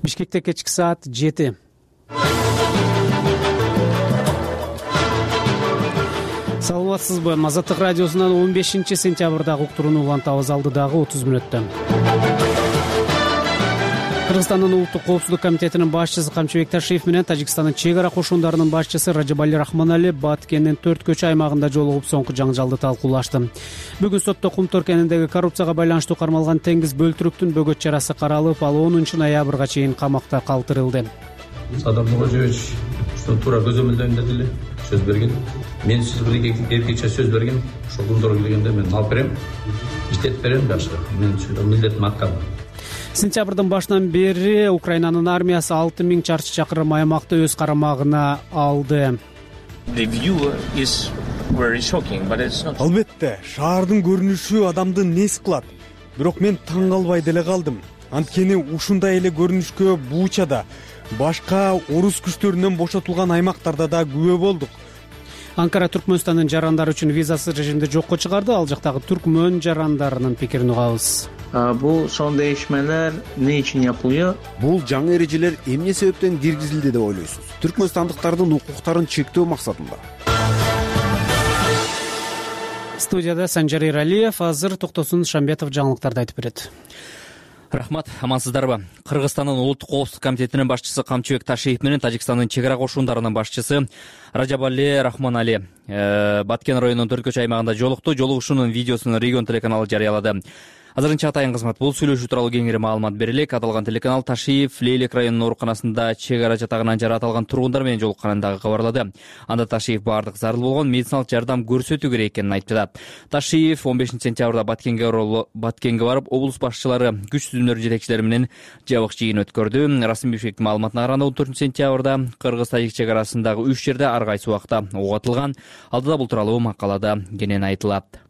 Бишкекте кечки саат 7. Саламатсызбы? Азаттык радиосунан 15-сентябрдагы уктурууну улантабыз. Алдыдагы 30 мүнөттө. Кыргызстандын улуттук коопсуздук комитетинин башчысы Камчыбек Ташиев менен Тажикстандын чек ара кошундарынын башчысы Ражабали Рахмонали Баткендин 4 көчө аймагында жолугуп соңку жаңжалды талкуулашты. Бүгүн сотто Кумтор кениндеги коррупцияга байланыштуу кармалган Теңиз Бөлтүрүктүн бөгөт чарасы каралып, ал 10-ноябрга чейин камакта калтырылды. Садыр Нуркожоевич туура көзөмөлдөгөндөй эле сөз берген. Мен сиз бир эркекче сөз берген. Ошол Кумторго келгенде мен алып берем, иштетип берем жакшы. Мен милдетим аткам. Сентябрдын башынан бери Украинанын армиясы 6000 чарчы чакырым аймакты өз карамагына алды. Албетте, шаардын көрүнүшү адамды нес кылат. Бирок мен таң калбай деле калдым. Анткени ушундай эле көрүнүшкө Бучада, башка орус күчтөрүнөн бошотулган аймактарда да күбө болдук. Анкара Түркмөнстандын жарандары үчүн визасыз режимди жокко чыгарды. Ал жактагы түркмөн жарандарынын пикирин угабыз. Бул son değişmeler ne için yapılıyor? Бул жаңы эрежелер эмне себептен киргизилди деп ойлойсуз? Түркмөнстандыктардын укуктарын чектөө максатында. Студияда Санжар Иралиев, азыр Токтосун Шамбетов жаңылыктарды айтып берет. Рахмат, амансыздарбы? Кыргызстандын улуттук коопсуздук комитетинин башчысы Камчыбек Ташиев менен Тажикстандын чек ара кошундарынын башчысы Ражабали Рахмонали Баткен районунун 4 көчө аймагында жолукту. Жолугушуунун видеосун Регион телеканалы жарыялады. Азырынча атайын кызмат бул сүйлөшүү тууралуу кеңири маалымат берелек. Аталган телеканал Ташиев Лейлек районунун ооруканасында чек ара жатагынан жаратылган тургундар менен жолукканын дагы кабарлады. Анда Ташиев баардык зарыл болгон медициналык жардам көрсөтүү керек экенин айтты. Ташиев 15-сентябрда Баткенге барып, облус башчылары, күч түзүмдөрүнүн жетекчилери менен жабык жыйын өткөрдү. Расмий Бишкектин маалыматына караганда 14-сентябрда Кыргыз-Тажик чек арасындагы 3 жерде ар кайсы убакта ок атылган. Алдыда бул тууралуу макалада кенен айтылат.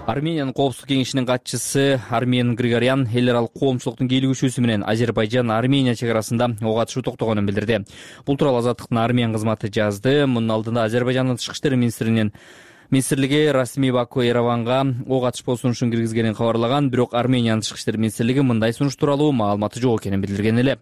Армениянын коопсуздук кеңешинин катчысы Армен Григорян эл аралык коомчулуктун кийлигишүүсү менен Азербайжан-Армения чек арасында ок атышуу токтогонун билдирди. Бул тууралуу Азаттыктын Армян кызматы жазды. Мунун алдында Азербайжандын тышкы иштер министрлиги расмий Баку Ереванга ок атыш болсунушун киргизгенин кабарлаган, бирок Армениянын тышкы иштер министрлиги мындай сунуш тууралуу маалыматы жок экенин билдирген эле.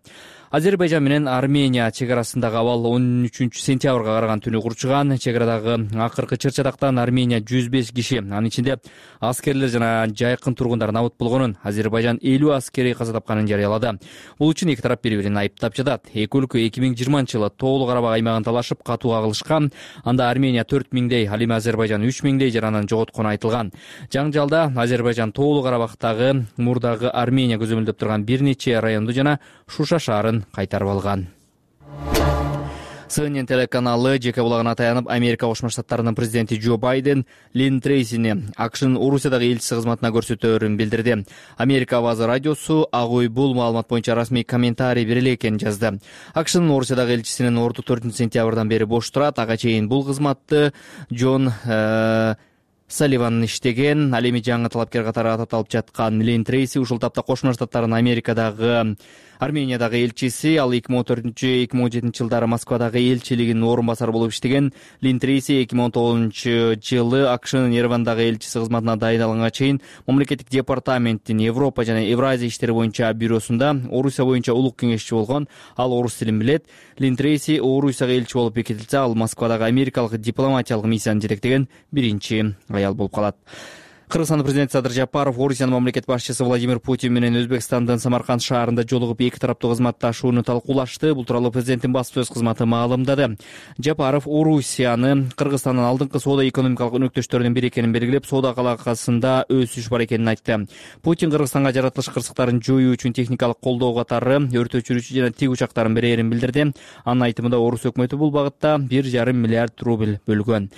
Азербайжан менен Армения чек арасындагы абал 13-сентябрга караган түнү курчуган. Чек арадагы акыркы чыр-чатактан Армения 105 киши, анын ичинде аскерлер жана жайкын тургундар набыт болгонун, Азербайжан 50 аскери каза тапканын жарыялады. Бул үчүн эки тарап бири-бирин айыптап жатат. Эки өлкө 2020-жылы Тоолуу Карабак аймагын талашып катуу кагылышкан. Анда Армения 4000дей, ал эми Азербайжан 3000дей жаранын жоготкону айтылган. Жаңжалда Азербайжан Тоолуу Карабактагы мурдагы Армения көзөмөлдөп турган бир нече районду жана Шуша шаарын кайтарып алган. CNN телеканалы жеке булагына таянып, Америка Кошмо Штаттарынын президенти Джо Байден Лин Трейсини АКШнын Орусиядагы элчиси кызматына көрсөтөөрүн билдирди. Америка Авазы радиосу Ак үй бул маалымат боюнча расмий комментарий бере элекенин жазды. АКШнын Орусиядагы элчисинин орду 4-сентябрдан бери бош турат. Ага чейин бул кызматты Джон Салливан иштеген. Ал эми жаңы талапкер катары аталып жаткан Лин Трейси ушул тапта Кошмо Штаттарынын Америкадагы Армениядагы элчиси. Ал 2014-2017 жылдары Москвадагы элчилигинин орун басары болуп иштеген. Лин Трейси 2019-жылы АКШнын Еревандагы элчиси кызматына дайындалганга чейин мамлекеттик департаменттин Европа жана Евразия иштери боюнча бюросунда Орусия боюнча улук кеңешчи болгон. Ал орус тилин билет. Лин Трейси Орусияга элчи болуп бекитилсе, ал Москвадагы америкалык дипломатиялык миссияны жетектеген биринчи аял болуп калат. Кыргызстандын президенти Садыр Жапаров Орусиянын мамлекет башчысы Владимир Путин менен Өзбекстандын Самарканд шаарында жолугуп эки тараптуу кызматташууну талкуулашты. Бул тууралуу президенттин баспасөз кызматы маалымдады. Жапаров Орусияны Кыргызстандын алдыңкы соода-экономикалык өнөктөштөрүнүн бири экенин белгилеп, соода алакасында өсүш бар экенин айтты. Путин Кыргызстанга жаратылыш кырсыктарын жоюу үчүн техникалык колдоо катары өрт өчүрүүчү жана тик учактарын берерин билдирди. Анын айтымында Орус өкмөтү бул багытта 1,5 миллиард рубль бөлгөн.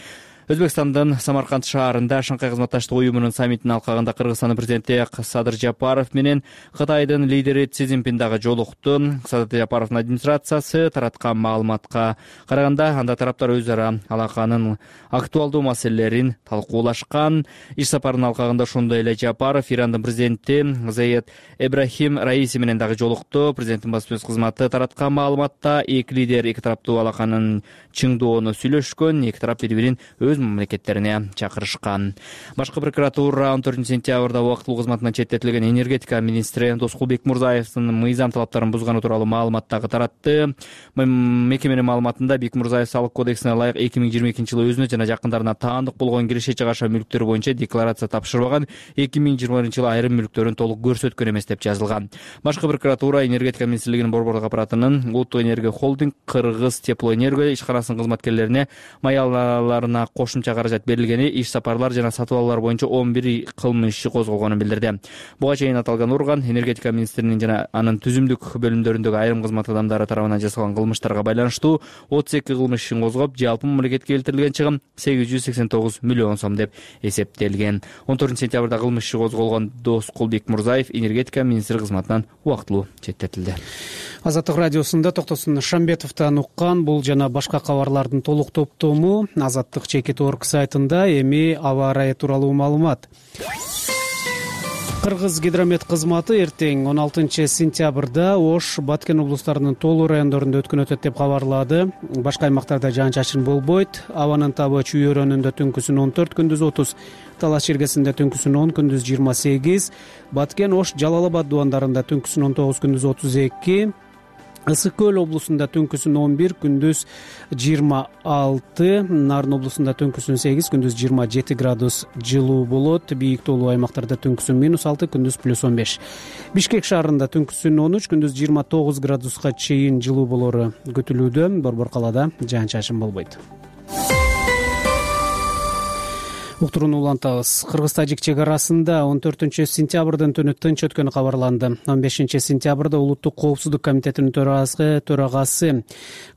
Өзбекстандын Самарканд шаарында Шанхай кызматташтык уюмунун саммитинин алкагында Кыргызстандын президенти Садыр Жапаров менен Кытайдын лидери Си Цзиньпин дагы жолукту. Садыр Жапаровдун администрациясы тараткан маалыматка караганда, анда тараптар өз ара алаканын актуалдуу маселелерин талкуулашкан. Иш сапарынын алкагында ошондой эле Жапаров Ирандын президенти Заид Эбрахим Раиси менен дагы жолукту. Президенттин баспасөз кызматы тараткан маалыматта эки лидер эки тараптуу алаканын чыңдоону сүйлөшкөн. Эки тарап бири-бирин өз өз мамлекеттерине чакырышкан. Башкы прокуратура 14-сентябрда убактылуу кызматынан четтетилген энергетика министри Тоскулбек Мурзаевдин мыйзам талаптарын бузганы тууралуу маалымат дагы таратты. Мекеменин маалыматында Бекмурзаев салык кодексине ылайык 2022-жылы өзүнө жана жакындарына таандык болгон киреше чыгаша мүлктөр боюнча декларация тапшырбаган, 2020-жылы айрым мүлктөрүн толук көрсөткөн эмес деп жазылган. Башкы прокуратура энергетика министрлигинин борбордук аппаратынын Улуттук энергия холдинг Кыргыз теплоэнерго ишканасынын кызматкерлерине маяларына кошумча каражат берилгени, иш сапарлар жана сатып алуулар боюнча 11 кылмыш иши козголгонун билдирди. Буга чейин аталган орган энергетика министринин жана анын түзүмдүк бөлүмдөрүндөгү айрым кызмат адамдары тарабынан жасалган кылмыштарга байланыштуу 32 кылмыш ишин козгоп, жалпы мамлекетке келтирилген чыгым 889 миллион сом деп эсептелген. 14-сентябрда кылмыш иши козголгон Тоскулбек Мурзаев энергетика министри кызматынан убактылуу четтетилди. Азаттык радиосунда Токтосун Шамбетовдон уккан бул жана башка кабарлардын толук топтому Азаттык.org сайтында. Эми аба ырайы тууралуу маалымат. Кыргыз гидромет кызматы эртең 16-сентябрда Ош, Баткен облустарынын тоолуу райондорунда өткөн өтөт деп кабарлады. Башка аймактарда жаан-чачын болбойт. Абанын табы Чүй өрөөнүндө түнкүсүн 14, күндүз 30, Талас чергесинде түнкүсүн 10, күндүз 28, Баткен, Ош, Жалал Абад дубандарында түнкүсүн 19, күндүз 32, Ысык Көл облусунда түнкүсүн 11, күндүз 26, Нарын облусунда түнкүсүн 8, күндүз 27 градус жылуу болот. Бийик тоолуу аймактарда түнкүсүн -6, күндүз +15. Бишкек шаарында түнкүсүн 13, күндүз 29 градуска чейин жылуу болору күтүлүүдө. Борбор калаада жаан-чачын болбойт. Уктурууну улантабыз. Кыргыз-тажик чек арасында 14-сентябрдын түнү тынч өткөнү кабарланды. 15-сентябрда Улуттук коопсуздук комитетинин төрагасы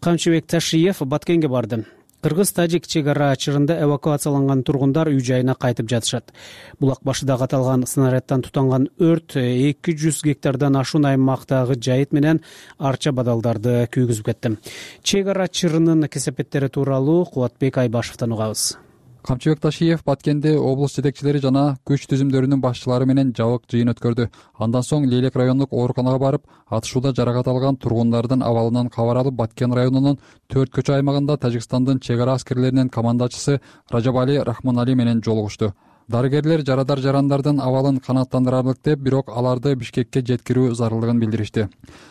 Камчыбек Ташиев Баткенге барды. Кыргыз-тажик чек ара чырында эвакуацияланган тургундар үй жайына кайтып жатышат. Булак башыдагы аталган снарядтан тутанган өрт 200 гектардан ашуун аймактагы жайыт менен арча бадалдарды күйгүзүп кетти. Чек ара чырынын кесепеттери тууралуу Кубатбек Айбашевдон угабыз. Камчыбек Ташиев Баткенде облус жетекчилери жана күч түзүмдөрүнүн башчылары менен жабык жыйын өткөрдү. Андан соң Лейлек райондук ооруканага барып, атышууда жаракат алган тургундардын абалынан кабар алып, Баткен районунун 4 көчө аймагында Тажикстандын чек ара аскерлеринин командачысы Ражабали Рахманали менен жолугушту. Дарыгерлер жарандардын абалын канааттандырарлык деп, бирок аларды Бишкекке жеткирүү зарылдыгын билдиришти.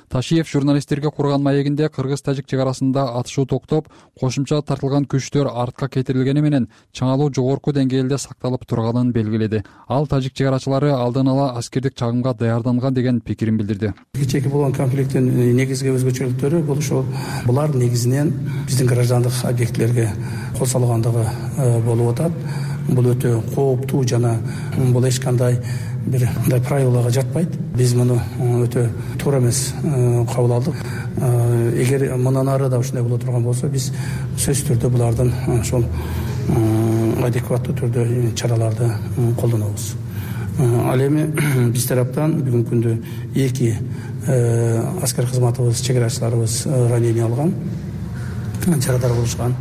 Ташиев журналисттерге курган маегинде Кыргыз-тажик чек арасында атышуу токтоп, кошумча тартылган күчтөр артка кетирилгени менен чыңалуу жогорку деңгээлде сакталып турганын белгиледи. Ал тажик чек арачылары алдын ала аскердик чагымга даярданган деген пикирин билдирди. Чеки болгон конфликттин негизги өзгөчөлүктөрү бул ошол булар негизинен биздин граждандык объектилерге кол салгандыгы болуп атат. Бул өтө кооптуу жана бул эч кандай бир мындай правилага жатпайт. Биз муну өтө туура эмес кабыл алдык. Эгер мындан ары да ушундай боло турган болсо, биз сөзсүз түрдө булардын ошол адекваттуу түрдө чараларды колдонобуз. Ал эми биз тараптан бүгүнкү күндө 2 аскер кызматыбыз, чек арачыларыбыз ранение алган, жарадар болушкан.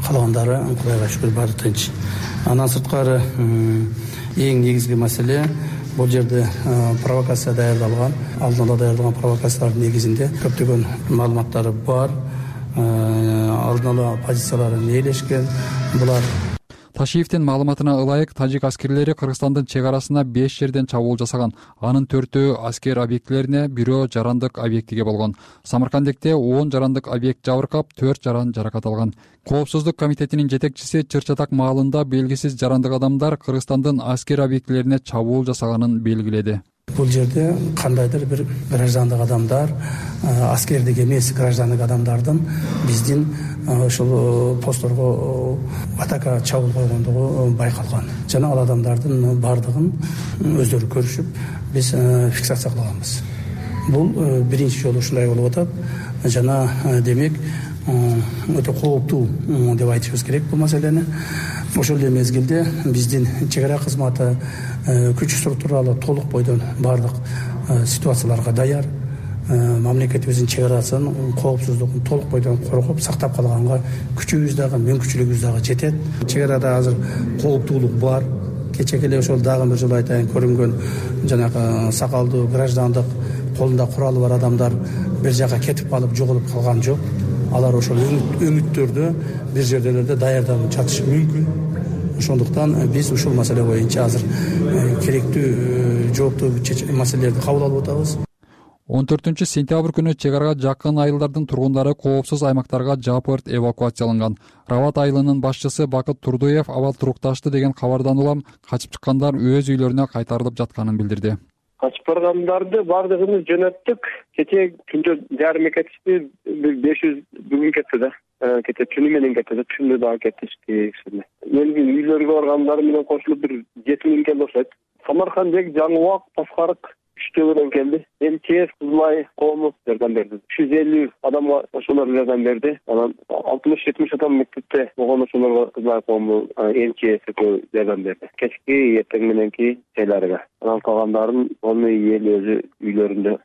Калгандары Кудайга шүгүр баары тынч. Андан сырткары эң негизги маселе бул жерде провокация даярдалган, алдын ала даярдалган провокациялардын негизинде көптөгөн маалыматтары бар, алдын ала позициялары ээлешкен. Булар Ташиевдин маалыматына ылайык, тажик аскерлери Кыргызстандын чек арасына 5 жерден чабуул жасаган. Анын 4-өө аскер объектилерине, бирөө жарандык объектиге болгон. Самаркандекте 10 жарандык объект жабыркап, 4 жаран жаракат алган. Коопсуздук комитетинин жетекчиси Чыр-Чатак маалында белгисиз жарандык адамдар Кыргызстандын аскер объектилерине чабуул жасаганын белгиледи. Бул жерде кандайдыр бир граждандык адамдар, аскердик эмес граждандык адамдардын биздин ошол постторго атака чабуул койгондугу байкалган. Жана ал адамдардын бардыгын өздөрү көрүшүп, биз фиксация кылганбыз. Бул биринчи жолу ушундай болуп атат. Жана демек өтө кооптуу деп айтышыбыз керек бул маселени. Ошол эле мезгилде биздин чек ара кызматы күч структуралуу толук бойдон бардык ситуацияларга даяр. Мамлекетибиздин чек арасын коопсуздугун толук бойдон коргоп сактап калганга күчүбүз дагы, мүмкүнчүлүгүбүз дагы жетет. Чек арада азыр кооптуулук бар. Кечеги эле ошол дагы бир жолу айтайын, көрүнгөн жанагы сакалдуу граждандык колунда куралы бар адамдар бир жака кетип калып жоголуп калган жок. Алар ошол өңүттөрдө бир жерделерде даярданып жатышы мүмкүн. ошондуктан биз ушул маселе боюнча азыр керектүү жооптуу маселелерди кабыл алып атабыз. 14 сентябрь күнү чек арага жакын айылдардын тургундары коопсуз аймактарга жапырт эвакуацияланган. Рават айылынын башчысы Бакыт Турдуев абал турукташты деген кабардан улам качып чыккандар өз үйлөрүнө кайтарылып жатканын билдирди. Качып баргандарды бардыгын жөнөттүк. Кечээ түндө жарым кетишти, 500 бүгүн кетти да. Кете түнү менен кетти да, түндө дагы кетишти. Менин үйлөргө баргандар менен кошулуп бир 7000 келди окшойт. Самаркандек, Жаңыбак, Таскарык үчтөөнөн келди. МЧС Кызылай коому жардам берди. 350 адамга ошолор жардам берди. Анан 60-70 адам мектепте болгон ошолорго Кызылай коому МЧС жардам берди. Кечки эртең мененки жайларга. Анан калгандарын оны эл өзү үйлөрүндө.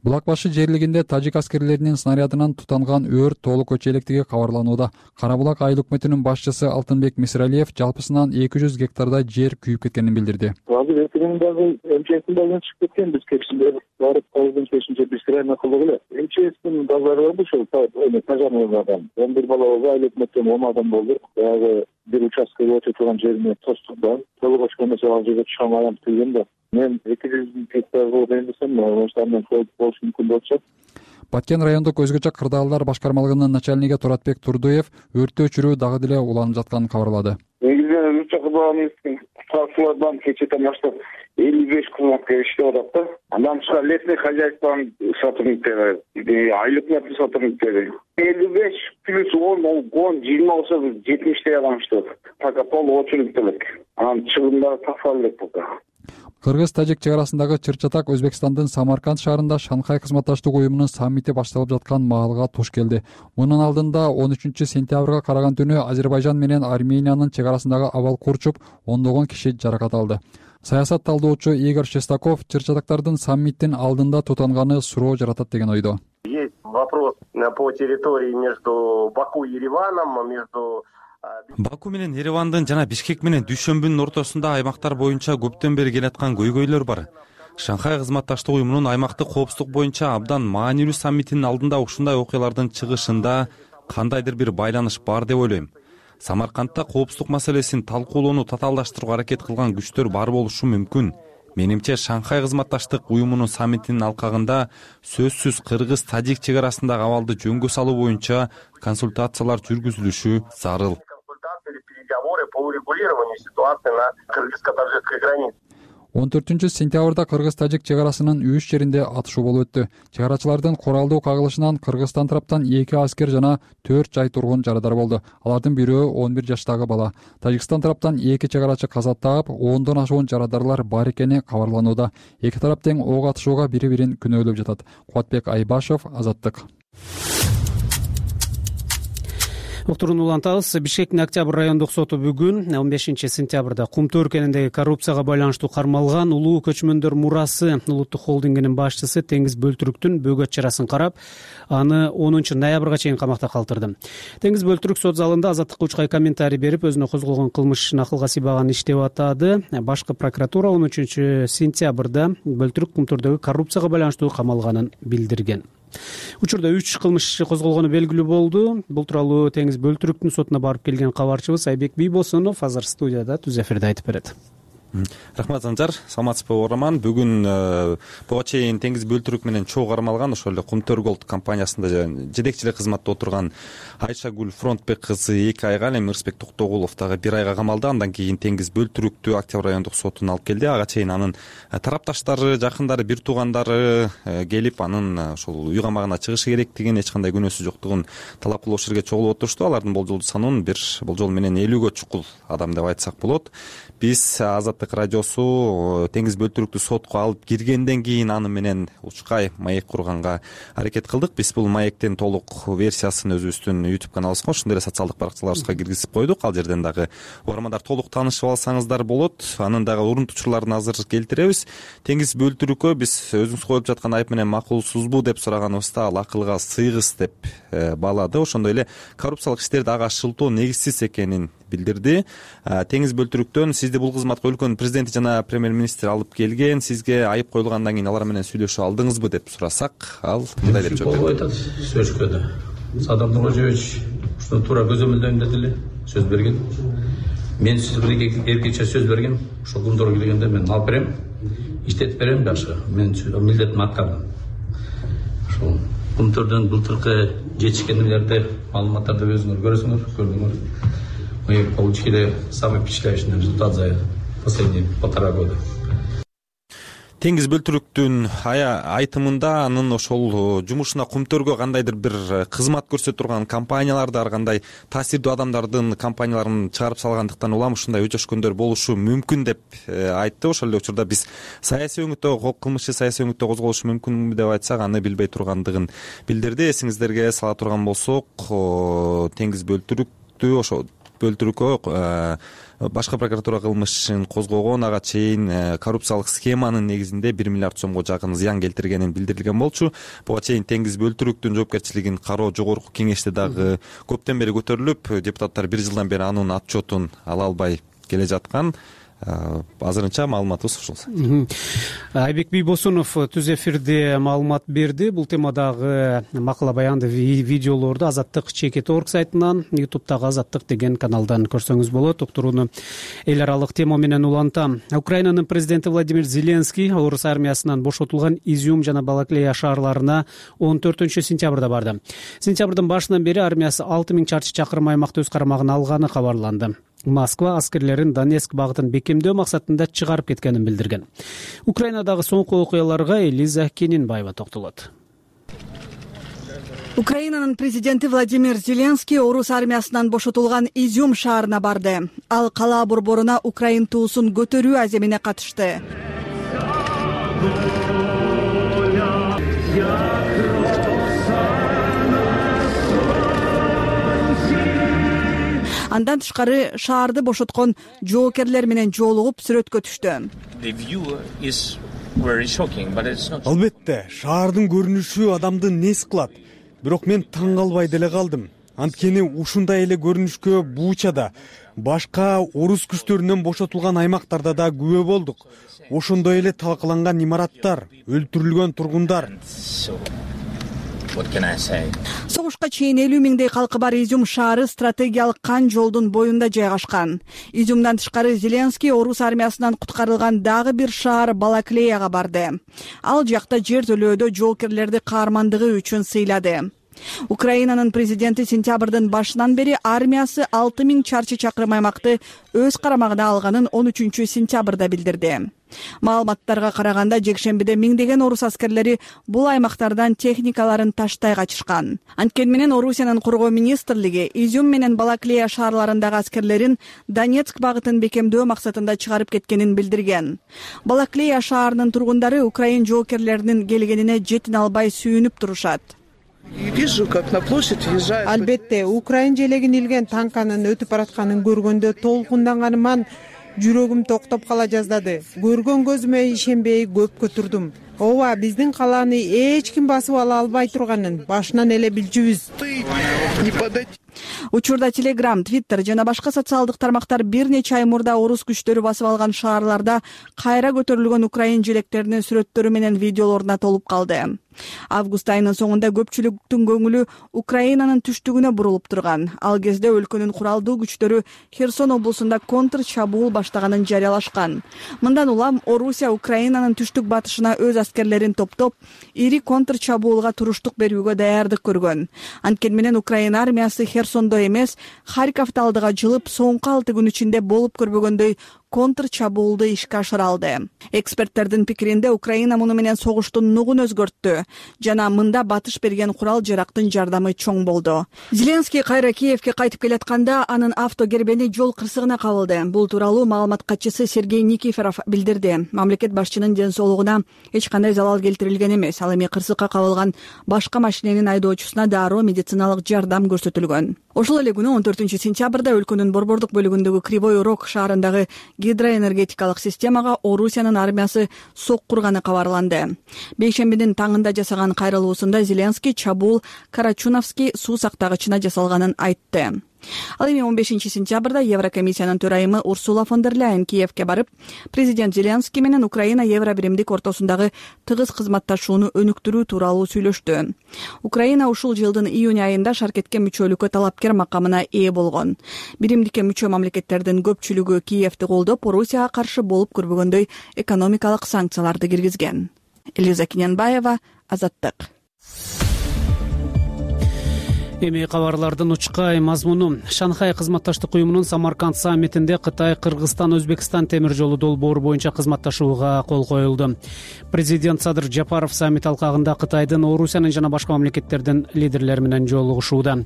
Булак башы жерлигинде тажик аскерлеринин снарядынан тутанган өрт толук өчөлектиги кабарланууда. Кара Булак айыл өкмөтүнүн башчысы Алтынбек Мисралиев жалпысынан 200 гектардай жер күйүп кеткенин билдирди. Азыр эртеңдеги МЧСден чыгып кеткен, биз кечинде барып калдын кечинде биз сырайна кылдык эле. МЧСдин базары бар ошол тажанырдан 11 бала болду, айыл өкмөттөн 10 адам болду. Баягы бир участкага өтө турган жерине тостук да. Толук очкондо ал жерге чыга алмайм деген да. Мен 200 гектар болуп эндесем, ошондон болушу мүмкүн болчу. Баткен райондук өзгөчө кырдаалдар башкармалыгынын начальниги Туратбек Турдуев өрттү өчүрүү дагы деле уланып жатканын кабарлады. Негизинен өзгөчө кырдаалыбыздын кутуучулардан кечээден баштап 55 кызматкер иштеп атат да. Андан башка лесный хозяйствонун сотрудниктери, айыл өкмөтүнүн сотрудниктери 55 плюс 10-20 болсо 70 адам иштеп атат. Пока толук очередь элек. Анан чыгымдары таксалып элек пока. Кыргыз-тажик чек арасындагы чыр-чатак Өзбекстандын Самарканд шаарында Шанхай кызматташтык уюмунун саммити башталып жаткан маалга туш келди. Мунун алдында 13 сентябрга караган түнү Азербайжан менен Армениянын чек арасындагы абал курчуп, ондогон киши жаракат алды. Саясат талдоочу Игорь Шестаков чыр-чатактардын саммиттин алдында тутанганы суроо жаратат деген ойдо. Есть вопрос по территории между Баку и Ереваном, между Баку менен Еревандын жана Бишкек менен Дүйшөмбүнүн ортосунда аймактар боюнча көптөн бери келаткан көйгөйлөр бар. Шанхай кызматташтык уюмунун аймактык коопсуздук боюнча абдан маанилүү саммитинин алдында ушундай окуялардын чыгышында кандайдыр бир байланыш бар деп ойлойм. Самаркандта коопсуздук маселесин талкуулоону татаалдаштырууга аракет кылган күчтөр бар болушу мүмкүн. Менимче Шанхай кызматташтык уюмунун саммитинин алкагында сөзсүз кыргыз-тажик чек арасындагы абалды жөнгө салуу боюнча консультациялар жүргүзүлүшү зарыл. По урегулированию ситуации на кыргызско-таджикской границе. 14 сентябрда Кыргыз-тажик чек арасынын 3 жеринде атышуу болуп өттү. Чек арачылардын куралдуу кагылышынан Кыргызстан тараптан 2 аскер жана 4 жай тургун жарадар болду. Алардын бирөө 11 жаштагы бала. Тажикстан тараптан 2 чек арачы каза таап, 10дон ашуун жарадарлар бар экени кабарланууда. Эки тарап тең ок атышууга бири-бирин күнөөлөп жатат. Кубатбек Айбашев, Азаттык. Уктурууну улантабыз. Бишкектин Октябрь райондук соту бүгүн 15 сентябрда Кумту өлкөнүндөгү коррупцияга байланыштуу кармалган Улуу көчмөндөр мурасы улуттук холдингинин башчысы Теңиз Бөлтүрүктүн бөгөт чарасын карап, аны 10 ноябрга чейин камакта калтырды. Теңиз Бөлтүрүк сот залында азаттыкка учкай комментарий берип, өзүнө козголгон кылмыш акылга сыйбаган иш деп атады. Башкы прокуратура 13 сентябрда Бөлтүрүк Кумтурдогу коррупцияга байланыштуу камалганын билдирген. Учурда 3 кылмыш иши козголгону белгилүү болду. Бул тууралуу Теңиз Бөлтүрүктүн сотуна барып келген кабарчыбыз Айбек Бийбосунов азыр студияда түз эфирде айтып берет. Рахмат Санжар, саламатсызбы угарман. Бүгүн буга чейин Теңиз Бөлтүрүк менен чогуу кармалган ошол эле Кумтөр Голд компаниясында жетекчилик кызматта отурган Айшагүл Фронтбек кызы 2 айга, эми Ырысбек Токтогулов дагы 1 айга камалды. Андан кийин Теңиз Бөлтүрүктү Октябрь райондук сотуна алып келди. Ага чейин анын тарапташтары, жакындары, бир туугандары келип, анын ошол үй камагына чыгышы керектигин, эч кандай күнөөсү жоктугун талап кылуучу жерге чогулуп отурушту. Алардын болжолдуу санын бир болжол менен 50гө чукул адам деп айтсак болот. Биз Азаттык радиосу Теңиз Бөлтүрүктү сотко алып киргенден кийин аны менен учкай маек курганга аракет кылдык. Биз бул маектин толук версиясын өзүбүздүн YouTube каналыбызга, ошондой эле социалдык баракчаларыбызга киргизип койдук. Ал жерден дагы угармандар толук таанышып алсаңыздар болот. Анын дагы урунтучуларын азыр келтиребиз. Теңиз Бөлтүрүккө биз өзүңүз коюп жаткан айып менен макулсузбу деп сураганыбызда ал акылга сыйгыс деп баалады. Ошондой эле коррупциялык иштерди ага шылтоо негизсиз экенин билдирди. Теңиз Бөлтүрүктөн сизди бул кызматка өлкөнүн президенти жана премьер-министр алып келген, сизге айып коюлгандан кийин алар менен сүйлөшүү алдыңызбы деп сурасак, ал мындай деп жооп айтат. Сөзкөдө Садам Нурожевич ушуну туура көзөмөлдөйм деди эле, сөз берген. мен сиз бир эркекче сөз берген, ошол күндөргө келгенде мен алып берем, иштетип берем дагы. Мен милдетимди аткардым. Ошол Кумтөрдөн былтыркы жетишкендерди маалыматтарды өзүңөр көрдүңөр. Мы получили самый впечатляющий результат за последние 1,5 года. Теңиз бөлтүрүктүн айтымында анын ошол жумушуна Кумтөргө кандайдыр бир кызмат көрсөтүп турган компанияларды, ар кандай таасирдүү адамдардын компанияларын чыгарып салгандыктан улам ушундай өчөшкөндөр болушу мүмкүн деп айтты. Ошол эле учурда биз саясий өңүттө кылмыш саясий өңүттө козголушу мүмкүнбү деп айтсак, аны билбей тургандыгын билдирди. Эсиңиздерге сала турган болсок, Теңиз бөлтүрүккө башкы прокуратура кылмыш ишин козгогон, ага чейин коррупциялык схеманын негизинде 1 миллиард сомго жакын зыян келтиргенин билдирилген болчу. Буга чейин Теңиз бөлтүрүктүн жоопкерчилигин кароо жогорку кеңеште дагы көптөн бери көтөрүлүп, депутаттар 1 жылдан бери анын отчетун ала албай келе жаткан. Азырынча маалыматыбыз ушул. Айбек Бийбосунов түз эфирде маалымат берди. Бул темадагы макала баянды видеолорду Азаттык чекит орг сайтынан, YouTube'дагы Азаттык деген каналдан көрсөңүз болот. Уктурууну эл аралык тема менен улантам. Украинанын президенти Владимир Зеленский орус армиясынан бошотулган Изюм жана Балаклея шаарларына 14-сентябрда барды. Сентябрдын башынан бери армиясы 6000 чарчы чакырым аймакты өз карамагына алганы кабарланды. Москва аскерлерин Донецк багытын бекемдөө максатында чыгарып кеткенин билдирген. Украинадагы соңку окуяларга Элиза Кенинбаева токтолот. Украинанын президенти Владимир Зеленский орус армиясынан бошотулган Изюм шаарына барды. Ал калаа борборуна Украин туусун көтөрүү аземине катышты. Андан тышкары шаарды бошоткон жоокерлер менен жолугуп сүрөткө түштү. Албетте, шаардын көрүнүшү адамды нес кылат. Бирок мен таң калбай деле калдым. Анткени ушундай эле көрүнүшкө Бучада, башка орус күчтөрүнөн бошотулган аймактарда да күбө болдук. Ошондой эле талкаланган имараттар, өлтүрүлгөн тургундар. Согушка чейин 50 миңдей калкы бар Изюм шаары стратегиялык кан жолдун боюнда жайгашкан. Изюмдан тышкары Зеленский орус армиясынан куткарылган дагы бир шаар Балаклеяга барды. Ал жакта жер төлөөдө жоокерлерди каармандыгы үчүн сыйлады. Украинанын президенти сентябрдын башынан бери армиясы 6000 чарчы чакырым аймакты өз карамагына алганын 13-сентябрда билдирди. Маалыматтарга караганда жекшембиде миңдеген орус аскерлери бул аймактардан техникаларын таштай качышкан. Анткени менен Орусиянын коргоо министрлиги Изюм менен Балаклея шаарларындагы аскерлерин Донецк багытын бекемдөө максатында чыгарып кеткенин билдирген. Балаклея шаарынын тургундары Украин жоокерлеринин келгенине жетин албай сүйүнүп турушат. Албетте, Украин желегин илген танканын өтүп баратканын көргөндө толкунданганыман жүрөгүм токтоп кала жаздады. Көргөн көзүмө ишенбей көпкө турдум. Ооба, биздин калааны эч ким басып ала албай турганын башынан эле билчүбүз. Учурда Telegram, Twitter жана башка социалдык тармактар бир нече ай мурда орус күчтөрү басып алган шаарларда кайра көтөрүлгөн Украин желектеринин сүрөттөрү менен видеолоруна толуп калды. Август айынын соңунда көпчүлүктүн көңүлү Украинанын түштүгүнө бурулуп турган. Ал кезде өлкөнүн куралдуу күчтөрү Херсон облусунда контр чабуул баштаганын жарыялашкан. Мындан улам Орусия Украинанын түштүк батышына өз аскерлерин топтоп, ири контр чабуулга туруштук берүүгө даярдык көргөн. Анткени менен Украина армиясы Херсондо эмес, Харьковдо алдыга жылып, соңку 6 күн ичинде болуп көрбөгөндөй контр чабуулду ишке ашыра алды. Эксперттердин пикиринде Украина муну менен согуштун нугун өзгөрттү жана мында батыш берген курал жарактын жардамы чоң болду. Зеленский кайра Киевке кайтып келатканда анын автогербени жол кырсыгына кабылды. Бул тууралуу маалымат катчысы Сергей Никифоров билдирди. Мамлекет башчынын ден соолугуна эч кандай залал келтирилген эмес. Ал эми кырсыкка кабылган башка машиненин айдоочусуна дароо медициналык жардам көрсөтүлгөн. Ошол эле күнү 14-сентябрда өлкөнүн борбордук бөлүгүндөгү Кривой Рог шаарындагы гидроэнергетикалык системага Орусиянын армиясы соккурганы кабарланды. Бейшембинин таңында жасаган кайрылуусунда Зеленский чабуул Карачуновский суу сактагычына жасалганын айтты. Ал эми 15 сентябрда Еврокомиссиянын төрайымы Урсула фон дер Ляйен Киевке барып, президент Зеленский менен Украина Евро биримдик ортосундагы тыгыз кызматташууну өнүктүрүү тууралуу сүйлөштү. Украина ушул жылдын июнь айында шаркетке мүчөлүккө талапкер макамына ээ болгон. Биримдикке мүчө мамлекеттердин көпчүлүгү Киевди колдоп, Орусияга каршы болуп көрбөгөндөй экономикалык санкцияларды киргизген. Элиза Киненбаева, Азаттык. Эми кабарлардын учкай мазмуну. Шанхай кызматташтык уюмунун Самарканд саммитинде Кытай, Кыргызстан, Өзбекстан темир жолу долбоору боюнча кызматташууга кол коюлду. Президент Садыр Жапаров саммит алкагында Кытайдын, Орусиянын жана башка мамлекеттердин лидерлери менен жолугушууда.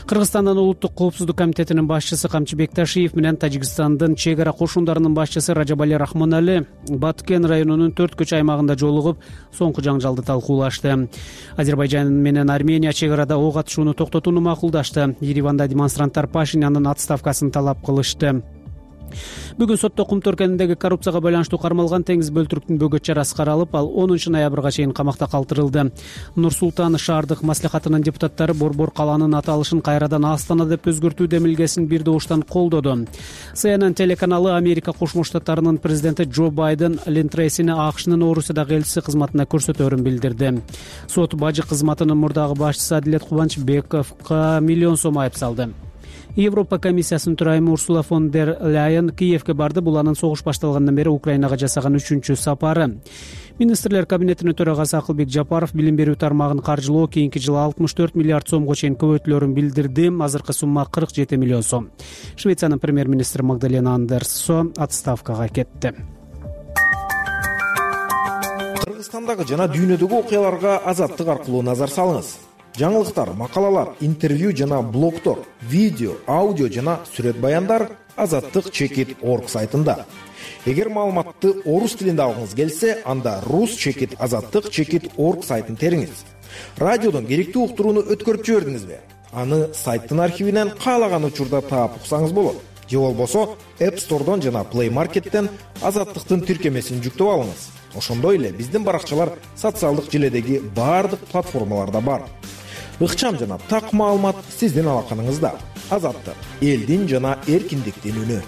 Кыргызстандын улуттук коопсуздук комитетинин башчысы Камчы Бекташиев менен Тажикстандын чек ара кошундарынын башчысы Ражабали Рахмонали Баткен районунун 4 көчө аймагында жолугуп, соңку жаңжалды талкуулашты. Азербайжан менен Армения чек арада ок атышууну токтотууну макулдашты. Ереванда демонстранттар Пашинянын отставкасын талап кылышты. Бүгүн сотто Кумту өлкөсүндөгү коррупцияга байланыштуу кармалган Теңиз Бөлтүрктүн бөгөт чарасы каралып, ал 10 ноябрга чейин камакта калтырылды. Нур-Султан шаардык маслихатынын депутаттары Борбор калаанын аталышын кайрадан Астана деп өзгөртүү демилгесин бир добуштан колдоду. CNN телеканалы Америка Кошмо Штаттарынын президенти Джо Байден Лин Трейсини АКШнын Орусиядагы элчиси кызматына көрсөтөөрүн билдирди. Сот бажы кызматынын мурдагы башчысы Адилет Кубанычбековго миллион сом айып салды. Европа комиссиясынын төрайымы Урсула фон дер Ляйен Киевке барды. Бул анын согуш башталгандан бери Украинага жасаган 3-чү сапары. Министрлер кабинетинин төрагасы Акылбек Жапаров билим берүү тармагын каржылоо кийинки жылы 64 миллиард сомго чейин көбөйтүлөөрүн билдирди. Азыркы сумма 47 миллион сом. Швециянын премьер-министри Магдалена Андерсо отставкага кетти. Кыргызстандагы жана дүйнөдөгү окуяларга Азаттык аркылуу назар салыңыз. Жаңылыктар, макалалар, интервью жана блогтор, видео, аудио жана сүрөт баяндар azattik.org сайтында. Эгер маалыматты орус тилинде алгыңыз келсе, анда rus.azattik.org сайтын териңиз. Радиодон керектүү уктурууну өткөрүп жибердиңизби? Аны сайттын архивинен каалаган учурда таап уксаңыз болот. Же болбосо App Store'дон жана Play Market'тен Азаттыктын тиркемесин жүктөп алыңыз. Ошондой эле биздин баракчалар социалдык желедеги баардык платформаларда бар. Ыкчам жана так маалымат сиздин алаканыңызда. Азаттык — элдин жана эркиндиктин үнү.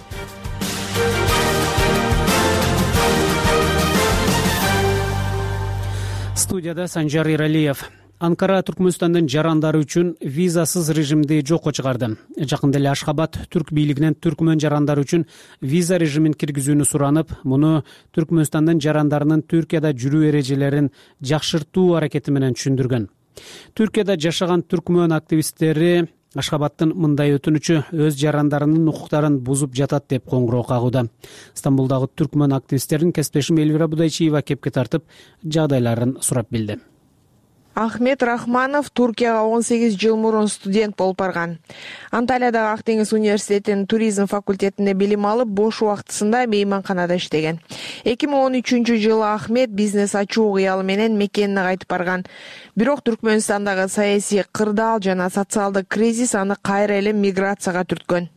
Студияда Санжар Иралиев. Анкара Түркмөнстандын жарандары үчүн визасыз режимди жокко чыгарды. Жакында эле Ашхабад түрк бийлигинен түркмөн жарандары үчүн виза режимин киргизүүнү суранып, муну Түркмөнстандын жарандарынын Түркияда жүрүү эрежелерин жакшыртуу аракети менен түшүндүргөн. Түркияда жашаган түркмөн активисттери Ашхабадтын мындай өтүнүчү өз жарандарынын укуктарын бузуп жатат деп коңгуроо кагууда. Стамбулдагы түркмөн активисттерин кесиптешим Элвира Будайчиева кепке тартып, жагдайларын сурап билди. Ахмет Рахманов Туркияга 18 жыл мурун студент болуп барган. Анталиядагы Ак деңиз университетинин туризм факультетинде билим алып, бош убактысында мейманканада иштеген. 2013-жылы Ахмет бизнес ачуу кыялы менен мекенине кайтып барган. Бирок Түркмөнстандагы саясий кырдаал жана социалдык кризис аны кайра эле миграцияга түрткөн.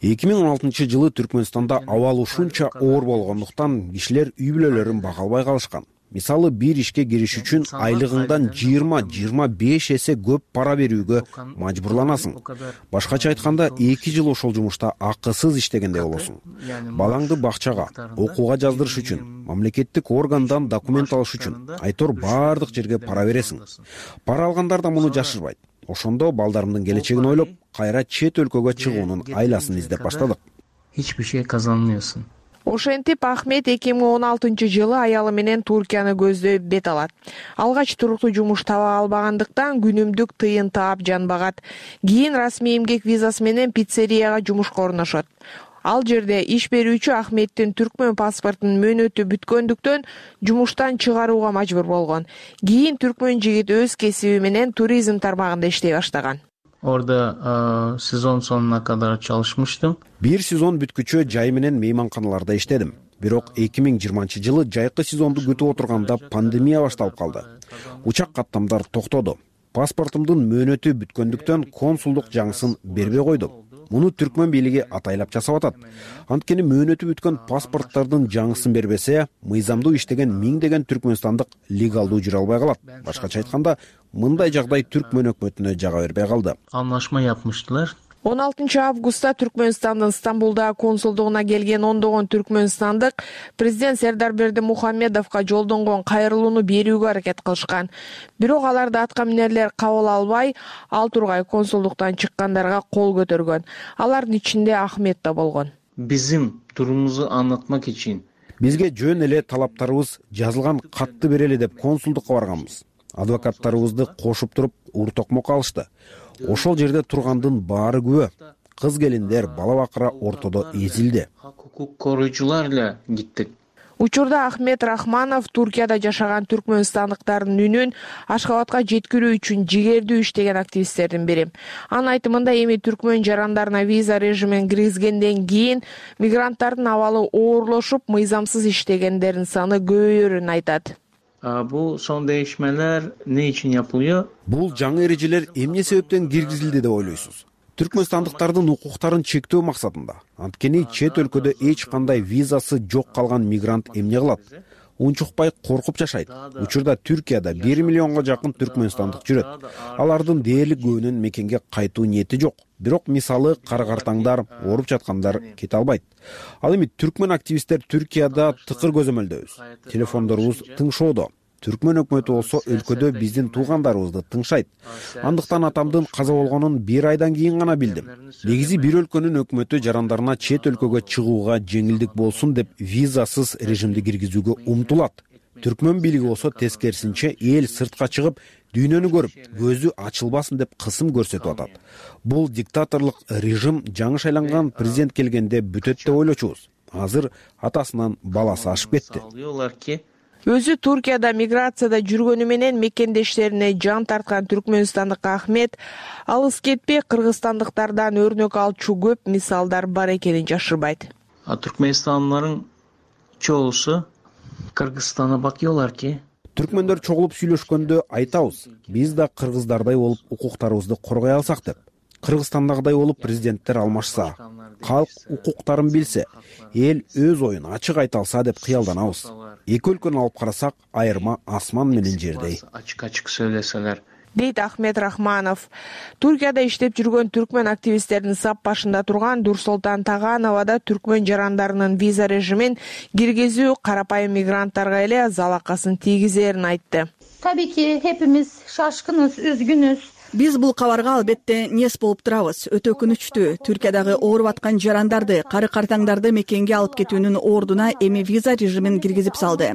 2016-жылы Түркмөнстанда абал ушунча оор болгондуктан кишилер үй бүлөлөрүн бага албай калышкан. Мисалы, бир ишке кириш үчүн айлыгыңдан 20-25 эсе көп пара берүүгө мажбурланасың. Башкача айтканда, 2 жыл ошол жумушта акысыз иштегендей болосуң. Балаңды бакчага, окууга жаздырыш үчүн, мамлекеттик органдан документ алыш үчүн айтор баардык жерге пара бересиң. Пара алгандар да муну жашырбайт. Ошондо балдарымдын келечегин ойлоп, кайра чет өлкөгө чыгуунун айласын издеп баштадык. Hiçbir şey kazanmıyorsun. Ошентип Ахмет 2016-жылы аялы менен Туркияны көздөй бет алат. Алгач туруктуу жумуш таба албагандыктан күнүмдүк тыйын таап жанбагат. Кийин расмий эмгек визасы менен пиццерияга жумушка орношот. Ал жерде иш берүүчү Ахметтин түркмөн паспортунун мөөнөтү бүткөндүктөн жумуштан чыгарууга мажбур болгон. Кийин түркмөн жигит өз кесиби менен туризм тармагында иштей баштаган. Orada sezon sonuna kadar çalışmıştım. Бир сезон бүткүчө жай менен мейманканаларда иштедим. Бирок 2020-жылы жайкы сезонду күтүп отурганда пандемия башталып калды. Учак каттамдар токтоду. Паспортумдун мөөнөтү бүткөндүктөн консулдук жаңысын бербей койду. Муну түркмөн бийлиги атайлап жасап атат. Анткени мөөнөтү бүткөн паспорттардын жаңысын бербесе, мыйзамдуу иштеген миңдеген түркмөнстандык легалдуу жүрө албай калат. Башкача айтканда, мындай жагдай түркмөн өкмөтүнө жага бербей калды. Anlaşma yapmıştılar. 16 августта Түркмөнстандын Стамбулдагы консулдугуна келген ондогон түркмөнстандык президент Сердар Бердимухамедовго жолдонгон кайрылууну берүүгө аракет кылышкан. Бирок аларды атка минерлер кабыл албай, ал тургай консулдуктан чыккандарга кол көтөргөн. Алардын ичинде Ахмет да болгон. Bizim durumumuzu anlatmak için Бизге жөн эле талаптарыбыз жазылган катты берели деп консулдукка барганбыз. Адвокаттарыбызды кошуп туруп уртокмок алышты. Ошол жерде тургандын баары күбө. Кыз келиндер, бала бакыра ортодо эзилди. hukuk koruyucularla gittik. Учурда Ахмет Рахманов Туркияда жашаган түркмөнстандыктардын үнүн Ашхабадка жеткирүү үчүн жигердүү иштеген активисттердин бири. Анын айтымында эми түркмөн жарандарына виза режимин киргизгенден кийин мигранттардын абалы оорлошуп, мыйзамсыз иштегендердин саны көбөйөрүн айтат. Bu son değişmeler ne için yapılıyor? Бул жаңы эрежелер эмне себептен киргизилди деп ойлойсуз? Түркмөнстандыктардын укуктарын чектөө максатында. Анткени чет өлкөдө эч кандай визасы жок калган мигрант эмне кылат? Унчукпай коркуп жашайт. Учурда Түркияда 1 миллионго жакын түркмөнстандык жүрөт. Алардын дээрлик көбүнүн мекенге кайтуу ниети жок. Бирок мисалы кара-картаңдар, ооруп жаткандар кете албайт. Ал эми түркмөн активисттер Түркияда тыкыр көзөмөлдөбүз. Телефондорубуз тыңшоодо. Түркмөн өкмөтү болсо өлкөдө биздин туугандарыбызды тыңшайт. Андыктан атамдын каза болгонун 1 айдан кийин гана билдим. Негизи бир өлкөнүн өкмөтү жарандарына чет өлкөгө чыгууга жеңилдик болсун деп визасыз режимди киргизүүгө умтулат. Түркмөн бийлиги болсо тескерисинче эл сыртка чыгып, дүйнөнү көрүп, көзү ачылбасын деп кысым көрсөтүп атат. Бул диктаторлук режим жаңы шайланган президент келгенде бүтөт деп ойлочубуз. Азыр атасынан баласы ашып кетти. Өзү Туркияда миграцияда жүргөнү менен мекендештерине жан тарткан түркмөнстандык Ахмет алыс кетпей кыргызстандыктардан өрнөк алчу көп мисалдар бар экенин жашырбайт. Türkmenistanlıların çoğusu Kırgızistan'a bakıyorlar ki Түркмөндөр чогулуп сүйлөшкөндө айтабыз, биз да кыргыздардай болуп укуктарыбызды коргой алсак деп. Кыргызстандагыдай болуп президенттер алмашса, калк укуктарын билсе, эл өз оюн ачык айта алса деп кыялданабыз. Эки өлкөнү алып карасак, айырма асман менен жердей. Açık söyleseler. Дейт Ахмет Рахманов. Туркияда иштеп жүргөн түркмөн активисттердин сап башында турган Дурсултан Таганова да түркмөн жарандарынын виза режимин киргизүү карапайым мигранттарга эле залакасын тийгизерин айтты. Tabii ki hepimiz şaşkınız, üzgünüz. Биз бул кабарга албетте нес болуп турабыз. Өтө өкүнүчтүү. Түркиядагы ооруп аткан жарандарды, кары-картаңдарды мекенге алып кетүүнүн ордуна эми виза режимин киргизип салды.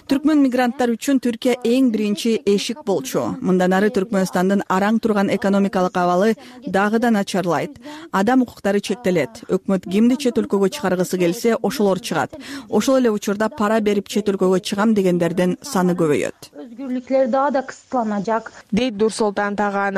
Түркмөн мигранттар үчүн Түркия эң биринчи эшик болчу. Мындан ары Түркмөнстандын араң турган экономикалык абалы дагы да начарлайт. Адам укуктары чектелет. Өкмөт кимди чет өлкөгө чыгаргысы келсе, ошолор чыгат. Ошол эле учурда пара берип чет өлкөгө чыгам дегендердин саны көбөйөт. Özgürlükleri daha da kısıtlanacak. Дейт Дурсултан Таганова.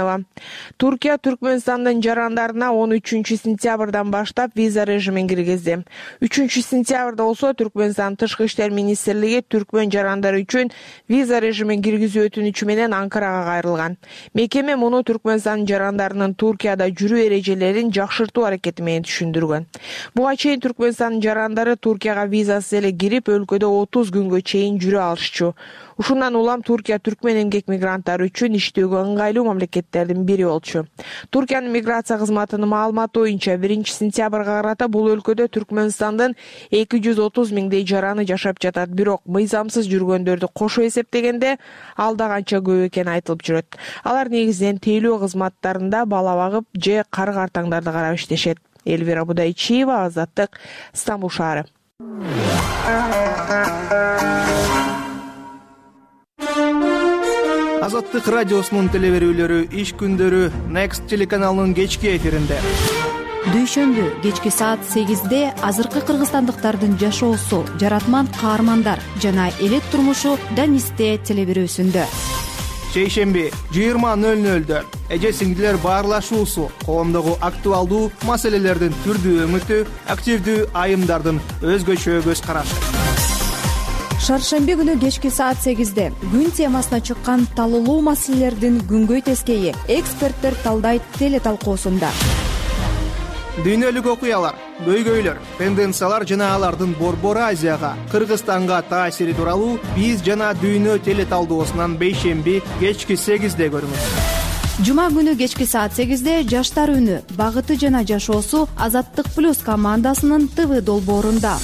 Туркия Түркмөнстандын жарандарына 13 сентябрдан баштап виза режимин киргизди. 3 сентябрда болсо Түркмөнстан Тышкы иштер министрлиги түркмөн жарандары үчүн виза режимин киргизүү өтүнүчү менен Анкарага кайрылган. Мекеме муну Түркмөнстан жарандарынын Туркияда жүрүү эрежелерин жакшыртуу аракети менен түшүндүргөн. Буга чейин Түркмөнстан жарандары Туркияга визасыз эле кирип, өлкөдө 30 күнгө чейин жүрө алышчу. Ушундан улам Туркия түркмөн эмгек мигранттары үчүн иштөөгө ыңгайлуу мамлекеттердин бири болчу. Туркиянын миграция кызматынын маалыматы боюнча 1 сентябрга карата бул өлкөдө Түркмөнстандын 230 миңдей жараны жашап жатат. Бирок мыйзамсыз жүргөндөрдү кошо эсептегенде ал да канча көп экени айтылып жүрөт. Алар негизинен тейлөө кызматтарында бала багып же кары-картаңдарды карап иштешет. Элвира Будайчиева, Азаттык, Стамбул шаары. Азаттык радиосунун телеберүүлөрү иш күндөрү Next телеканалынын кечки эфиринде. Дүйшөмбү кечки саат 8-де азыркы кыргызстандыктардын жашоосу, жаратман каармандар жана элет турмушу Данисте телеберүүсүндө. Шейшемби 20:00-дө эже сиңдилер баарлашуусу, коомдогу актуалдуу маселелердин түрдүү өңүтү, активдүү айымдардын өзгөчө көз карашы. Шаршемби күнү кечки саат 8-де күн темасына чыккан талуулуу маселелердин күнгөй тескейи эксперттер талдайт теле талкуусунда. дүйнөлүк окуялар, көйгөйлөр, тенденциялар жана алардын Борбор Азияга, Кыргызстанга таасири тууралуу биз жана дүйнө теле талдоосунан бейшемби кечки 8-де көрүңүз. Жума күнү кечки саат 8-де жаштар үнү, багыты жана жашоосу Азаттык плюс командасынын ТВ долбоорунда.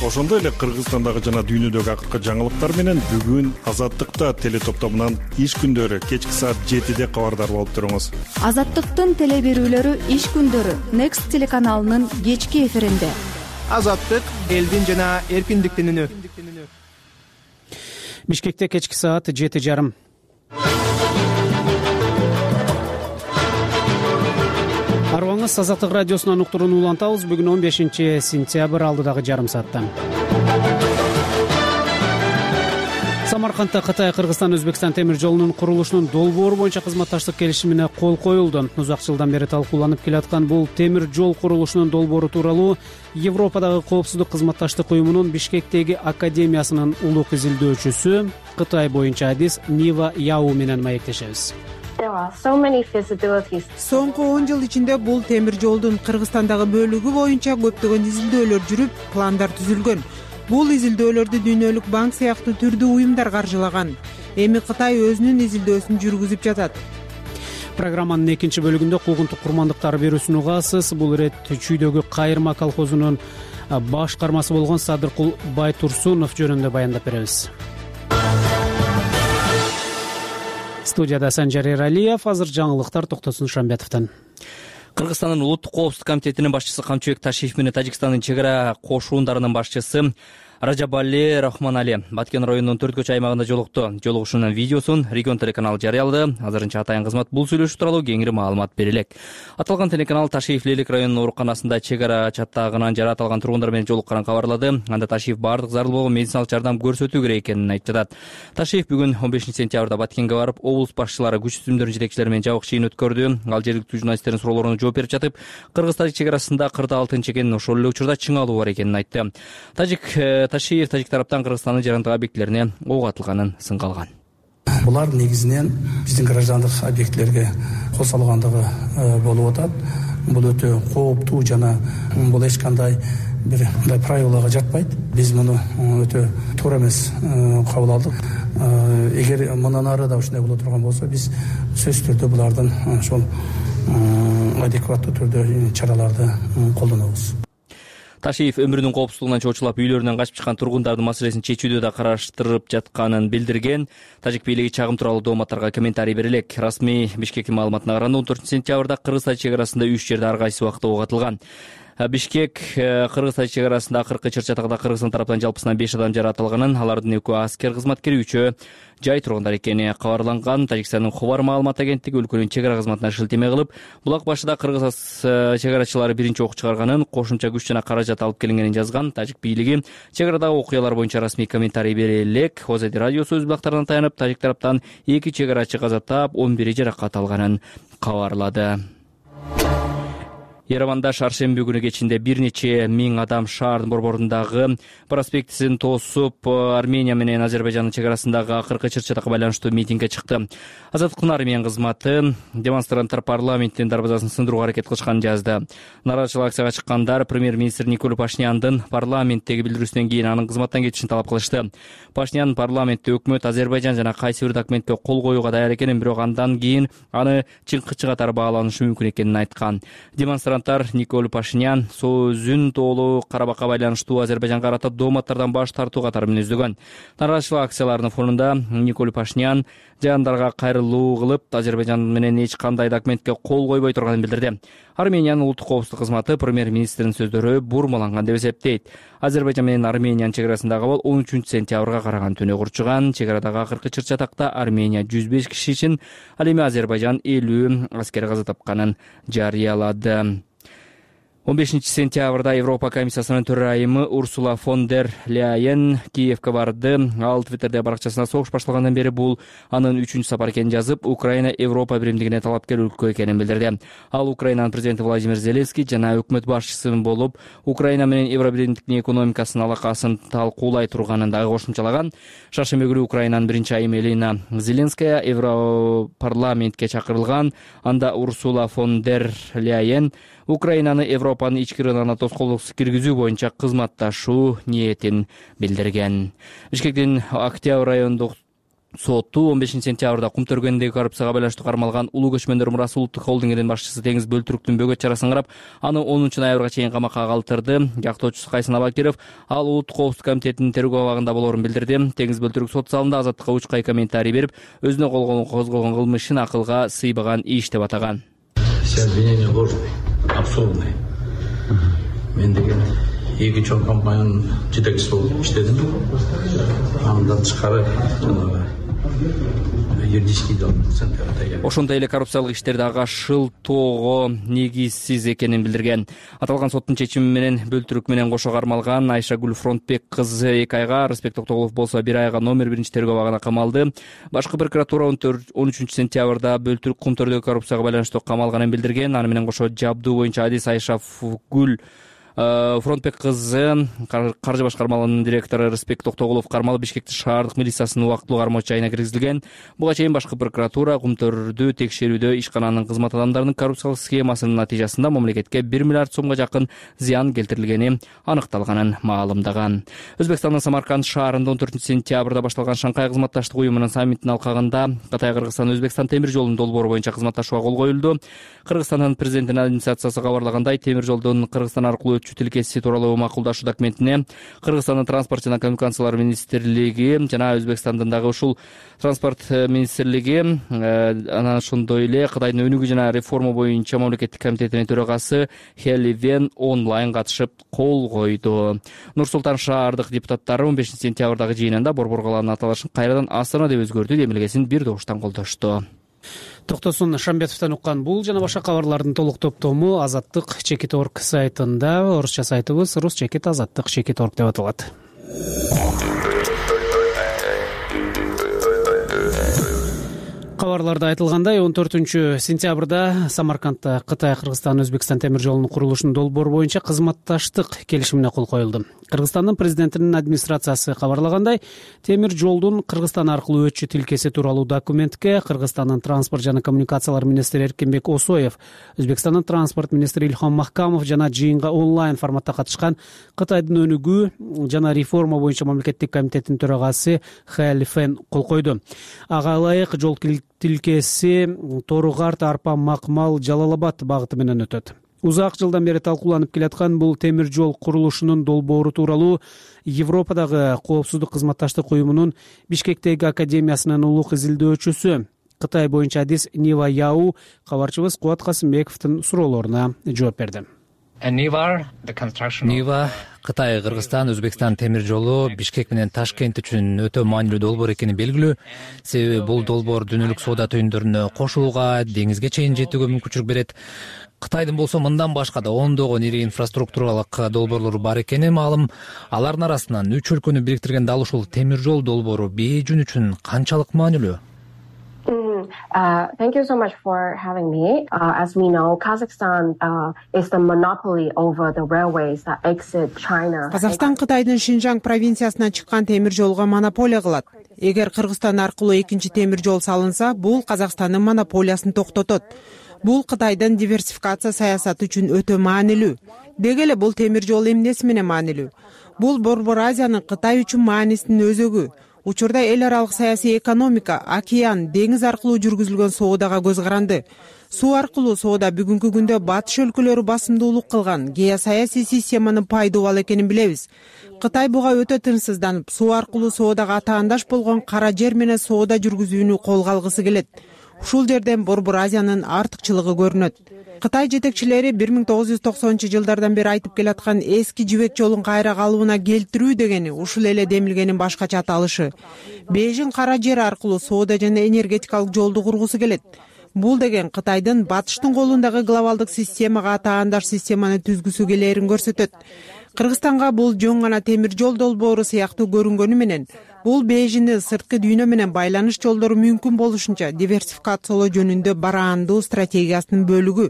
Ошондой эле Кыргызстандагы жана дүйнөдөгү акыркы жаңылыктар менен бүгүн Азаттыкта теле топтомунан иш күндөрү кечки саат 7-де кабардар болуп туруңуз. Азаттыктын теле берүүлөрү иш күндөрү Next телеканалынын кечки эфиринде. Азаттык элдин жана эркиндиктин үнү. Бишкекте кечки саат 7:30. Арыбаңыз Азаттык радиосунан уктурууну улантабыз. Бүгүн 15-сентябрь алдыдагы жарым саатта. Самаркандта Кытай, Кыргызстан, Өзбекстан темир жолунун курулушунун долбоору боюнча кызматташтык келишимине кол коюлду. Узак жылдан бери талкууланып келаткан бул темир жол курулушунун долбоору тууралуу Европадагы коопсуздук кызматташтык уюмунун Бишкектеги академиясынын улук изилдөөчүсү, Кытай боюнча адис Нива Яу менен маектешебиз. Соңку 10 жыл ичинде бул темир жолдун Кыргызстандагы бөлүгү боюнча көптөгөн изилдөөлөр жүрүп, пландар түзүлгөн. Бул изилдөөлөрдү Дүйнөлүк банк сыяктуу түрдүү уюмдар каржылаган. Эми Кытай өзүнүн изилдөөсүн жүргүзүп жатат. Программанын экинчи бөлүгүндө куугунтук курмандыктар берүүсүн угасыз. Бул ирет Чүйдөгү Кайырма колхозунун башкармасы болгон Садыркул Байтурсунов жөнүндө баяндап беребиз. Студияда Санжар Эралиев, азыр жаңылыктар Токтосун Шамбетовдон. Кыргызстандын улуттук коопсуздук комитетинин башчысы Камчыбек Ташиев менен Тажикстандын чек ара кошуундарынын башчысы Ражабали Рахманали Баткен районунун 4 көчө аймагында жолукту. Жолугушуунун видеосун регион телеканалы жарыялады. Азырынча атайын кызмат бул сүйлөшүү тууралуу кеңири маалымат бере элек. Аталган телеканал Ташиев Лелек районунун ооруканасында чек ара чаттагынан жаратылган тургундар менен жолукканын кабарлады. Анда Ташиев бардык зарыл болгон медициналык жардам көрсөтүү керек экенин айтып. Ташиев бүгүн 15-сентябрда Баткенге барып, облус башчылары, күч түзүмдөрүнүн жетекчилери менен жабык чыйын өткөрдү. Ал жергиликтүү журналисттердин суроолоруна жооп берип жатып, Кыргыз-Тажик чек арасында кырда алтын чекенин ошол эле учурда чыңалуу бар экенин айтты. Ташиев Тажик тараптан Кыргызстандын жарандык объектилерине ок атылганын сынга алган. Булар негизинен биздин граждандык объектилерге кол салгандыгы болуп атат. Бул өтө кооптуу жана бул эч кандай бир мындай правилага жатпайт. Биз муну өтө туура эмес кабыл алдык. Эгер мындан ары да ушундай боло турган болсо, биз сөзсүз түрдө булардын ошол адекваттуу түрдө чараларды колдонобуз. Ташиев өмүрүнүн коопсуздугунан чочулап үйлөрүнөн качып чыккан тургундардын маселесин чечүүдө да караштырып жатканын билдирген. Тажик бийлиги чагым тууралуу дооматтарга комментарий бере элек. Расмий Бишкектин маалыматына караганда 14-сентябрда Кыргыз-Тажик чек арасында 3 жерде ар кайсы убакта ок атылган. Бишкек Кыргыз-Тажик чек арасында акыркы чыр-чатакта Кыргызстан тараптан жалпысынан 5 адам жаратылганын, алардын 2 аскер кызматкери, 3 жай тургундар экени кабарланган. Тажикстандын Хобар маалымат агенттиги өлкөнүн чек ара кызматына шилтеме кылып, булак башыда Кыргыз чек арачылары биринчи ок чыгарганын, кошумча күч жана каражат алып келингенин жазган. Тажик бийлиги чек арадагы окуялар боюнча расмий комментарий бере элек. Озеди радиосу өз булактарына таянып, Тажик тараптан 2 чек арачы каза таап, 11 жаракат алганын кабарлады. Ереванда шаршемби күнү кечинде бир нече миң адам шаардын борборундагы проспектисин тосуп, Армения менен Азербайжандын чек арасындагы акыркы чыр-чатакка байланыштуу митингге чыкты. Азаттыктын Армения кызматы демонстранттар парламенттин дарбазасын сындырууга аракет кылышканын жазды. Нааразычылык акцияга чыккандар премьер-министр Николай Пашняндын парламенттеги билдирүүсүнөн кийин анын кызматтан кетишин талап кылышты. Пашнян парламентте өкмөт Азербайжан жана кайсы бир документке кол коюуга даяр экенин, бирок андан кийин аны чыңкычы катары бааланышы мүмкүн экенин айткан. Демонстранттар Николай Пашнян сөзүн тоолуу Карабакка байланыштуу Азербайжанга карата дооматтардан баш тартуу катары мүнөздөгөн. Нааразычылык акцияларынын фонунда Николай Пашнян жандарга кайрылуу кылып, Азербайжан менен эч кандай документке кол койбой турганын билдирди. Армениянын улуттук коопсуздук кызматы премьер-министрдин сөздөрү бурмаланган деп эсептейт. Азербайжан менен Армениянын чек арасындагы абал 13-сентябрга караган түнү курчуган. Чек арадагы акыркы чыр-чатакта Армения 105 киши ичин, ал эми Азербайжан 50 аскер каза тапканын жарыялады. 15-сентябрда Европа комиссиясынын төрайымы Урсула фон дер Ляйен Киевке барды. Ал Твиттерде баракчасына согуш башталгандан бери бул анын 3-чү сапары экенин жазып, Украина Европа биримдигине талапкер өлкө экенин билдирди. Ал Украинанын президенти Владимир Зеленский жана өкмөт башчысы болуп, Украина менен Евробиримдиктин экономикасынын алакасын талкуулай турганын дагы кошумчалаган. Шаршемби күнү Украинанын биринчи айымы Елена Зеленская Европарламентке чакырылган. Анда Урсула фон дер Ляйен Украинаны Европанын ички рыногуна тоскоолдуксуз киргизүү боюнча кызматташуу ниетин билдирген. Бишкектин Октябрь райондук соту 15-сентябрда кум төргөндөгү коррупцияга байланыштуу кармалган Улуу көчмөндөр мурасы улуттук холдингинин башчысы Теңиз Бөлтүрүктүн бөгөт чарасын карап, аны 10-ноябрга чейин камакка калтырды. Жактоочусу Кайсын Абакиров ал улуттук коопсуздук комитетинин тергөө абагында болоорун билдирди. Теңиз Бөлтүрүк сот залында Азаттыкка учкай комментарий берип, өзүнө козголгон кылмышын акылга сыйбаган иш деп атаган. Все обвинения ложные, абсурдные. Мен деген эки чоң компаниянын жетекчиси болуп иштедим. Андан тышкары юридический центр. Ошондой эле коррупциялык иштерди ага шылтоого негизсиз экенин билдирген. Аталган соттун чечими менен Бөлтүрүк менен кошо кармалган Айшагүл Фронтбек кызы 2 айга, Рыспек Токтогулов болсо 1 айга номер 1 тергөө абагына камалды. Башкы прокуратура 13-сентябрда Бөлтүрүк кум төрдөгү коррупцияга байланыштуу камалганын билдирген. Аны менен кошо жабдуу боюнча адис Айшагүл Фронтбек кызы, каржы башкармалыгынын директору Рыспек Токтогулов кармалып Бишкектин шаардык милициясынын убактылуу кармоочу жайына киргизилген. Буга чейин башкы прокуратура кумтөрдү текшерүүдө ишкананын кызмат адамдарынын коррупциялык схемасынын натыйжасында мамлекетке 1 миллиард сомго жакын зыян келтирилгени аныкталганын маалымдаган. Өзбекстандын Самарканд шаарында 14-сентябрда башталган Шанхай кызматташтык уюмунун саммитинин алкагында Кытай, Кыргызстан, Өзбекстан темир жолунун долбоору боюнча кызматташууга кол коюлду. Кыргызстандын президентинин администрациясы кабарлагандай, темир жолдун Кыргызстан аркылуу тилкеси тууралуу макулдашуу документине Кыргызстандын транспорт жана коммуникациялар министрлиги жана Өзбекстандын дагы ушул транспорт министрлиги, анан ошондой эле Кытайдын өнүгүү жана реформа боюнча мамлекеттик комитетинин төрагасы Хели Вен онлайн катышып кол койду. Нур-Султан шаардык депутаттары 15-сентябрдагы жыйынында Борбор калаанын аталышын кайрадан Астана деп өзгөртүү демилгесин бир добуштан колдошту. Токтосун Шамбетовдон уккан бул жана башка кабарлардын толук топтому Азаттык Чекит.орг сайтында, орусча сайтыбыз rus-azattik.org деп аталат. Кабарларда айтылгандай, 14-сентябрда Самаркандда Кытай, Кыргызстан, Өзбекстан темир жолунун курулушунун долбоору боюнча кызматташтык келишимине кол коюлду. Кыргызстандын президентинин администрациясы кабарлагандай, темир жолдун Кыргызстан аркылуу өтчү тилкеси тууралуу документке Кыргызстандын транспорт жана коммуникациялар министри Эркинбек Осоев, Өзбекстандын транспорт министри Илхам Махкамов жана жыйынга онлайн форматта катышкан Кытайдын өнүгүү жана реформа боюнча мамлекеттик комитетинин төрагасы Хели Вен кол койду. Ага ылайык жол тилкеси Торугарт, Арпа, Макмал, Жалалабад багыты менен өтөт. Узак жылдан бери талкууланып келаткан бул темир жол курулушунун долбоору тууралуу Европадагы коопсуздук кызматташтык уюмунун Бишкектеги академиясынын улук изилдөөчүсү, Кытай боюнча адис Нива Яу кабарчыбыз Кубат Касымбековдун суроолоруна жооп берди. Нива Кытай, Кыргызстан, Өзбекстан темир жолу Бишкек менен Ташкент үчүн өтө маанилүү долбоор экени белгилүү. Себеби бул долбоор дүйнөлүк соода түйүндөрүнө кошууга, деңизге чейин жетүүгө мүмкүнчүлүк берет. Кытайдын болсо мындан башка да ондогон ири инфраструктуралык долбоорлору бар экени маалым. Алардын арасынан 3 өлкөнү бириктирген дал ушул темир жол долбоору Бейжин үчүн канчалык маанилүү? Thank you so much for having me. As we know, Kazakhstan is the monopoly over the railways that exit China. Казакстан Кытайдын Шинжаң провинциясынан чыккан темир жолго монополия кылат. Эгер Кыргызстан аркылуу экинчи темир жол салынса, бул Казакстандын монополиясын токтотот. Бул Кытайдын диверсификация саясаты үчүн өтө маанилүү. Деги эле бул темир жол эмнеси менен маанилүү? Бул Борбор Азиянын Кытай үчүн маанисинин өзөгү. Учурда эл аралык саясий экономика, океан, деңиз аркылуу жүргүзүлгөн соодага көз каранды. Суу аркылуу соода бүгүнкү күндө батыш өлкөлөрү басымдуулук кылган геосаясий системанын пайдубал экенин билебиз. Кытай буга өтө тынчсызданып, суу аркылуу соодага атаандаш болгон кара жер менен соода жүргүзүүнү колго алгысы келет. Ушул жерден Борбор Азиянын артыкчылыгы көрүнөт. Кытай жетекчилери 1990-жылдардан бери айтып келаткан эски жибек жолун кайра калыбына келтирүү дегени ушул эле демилгенин башкача аталышы. Бейжин кара жер аркылуу соода жана энергетикалык жолду кургусу келет. бул деген Кытайдын батыштын колундагы глобалдык системага таандаш системаны түзгүсү келээрин көрсөтөт. Кыргызстанга бул жөн гана темир жол долбоору сыяктуу көрүнгөнү менен бул Бейжиңдин сырткы дүйнө менен байланыш жолдору мүмкүн болушунча диверсификациялоо жөнүндө бараандуу стратегиясынын бөлүгү.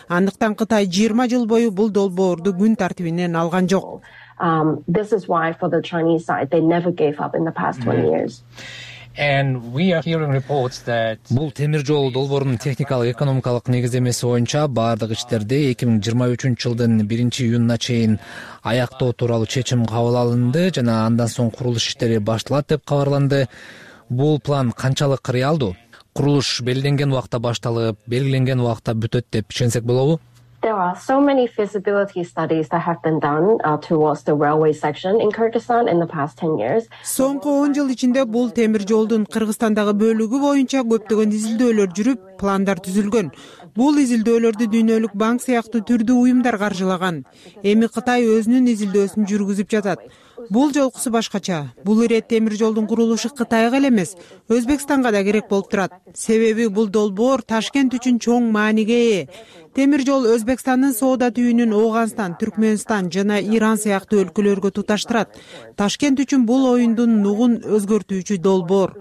Андыктан Кытай 20 жыл бою бул долбоорду күн тартибинен алган жок. This is why for the Chinese side they never gave up in the past 20 years. Бул темир жол долбоорунун техникалык экономикалык негиздемеси боюнча баардык иштерди 2023 жылдын 1-июнуна чейин аяктоо тууралуу чечим кабыл алынды жана андан соң курулуш иштери башталат деп кабарланды. Бул план канчалык реалдуу? Курулуш белгиленген убакта башталып, белгиленген убакта бүтөт деп ишенсек болобу? There are so many feasibility studies that have been done towards the railway section in Kyrgyzstan in the past 10 years. Соңку 10 жыл ичинде бул темир жолдун Кыргызстандагы бөлүгү боюнча көптөгөн изилдөөлөр жүрүп, пландар түзүлгөн. Бул изилдөөлөрдү Дүйнөлүк банк сыяктуу түрдүү уюмдар каржылаган. Эми Кытай өзүнүн изилдөөсүн жүргүзүп жатат. Бул жолкусу башкача. Бул ирет темир жолдун курулушу Кытайга эле эмес, Өзбекстанга да керек болуп турат. Себеби бул долбоор Ташкент үчүн чоң мааниге ээ. Темир жол Өзбекстандын соода түйүнүн Ооганстан, Түркмөнстан жана Иран сыяктуу өлкөлөргө туташтырат. Ташкент үчүн бул оюндун нугун өзгөртүүчү долбоор.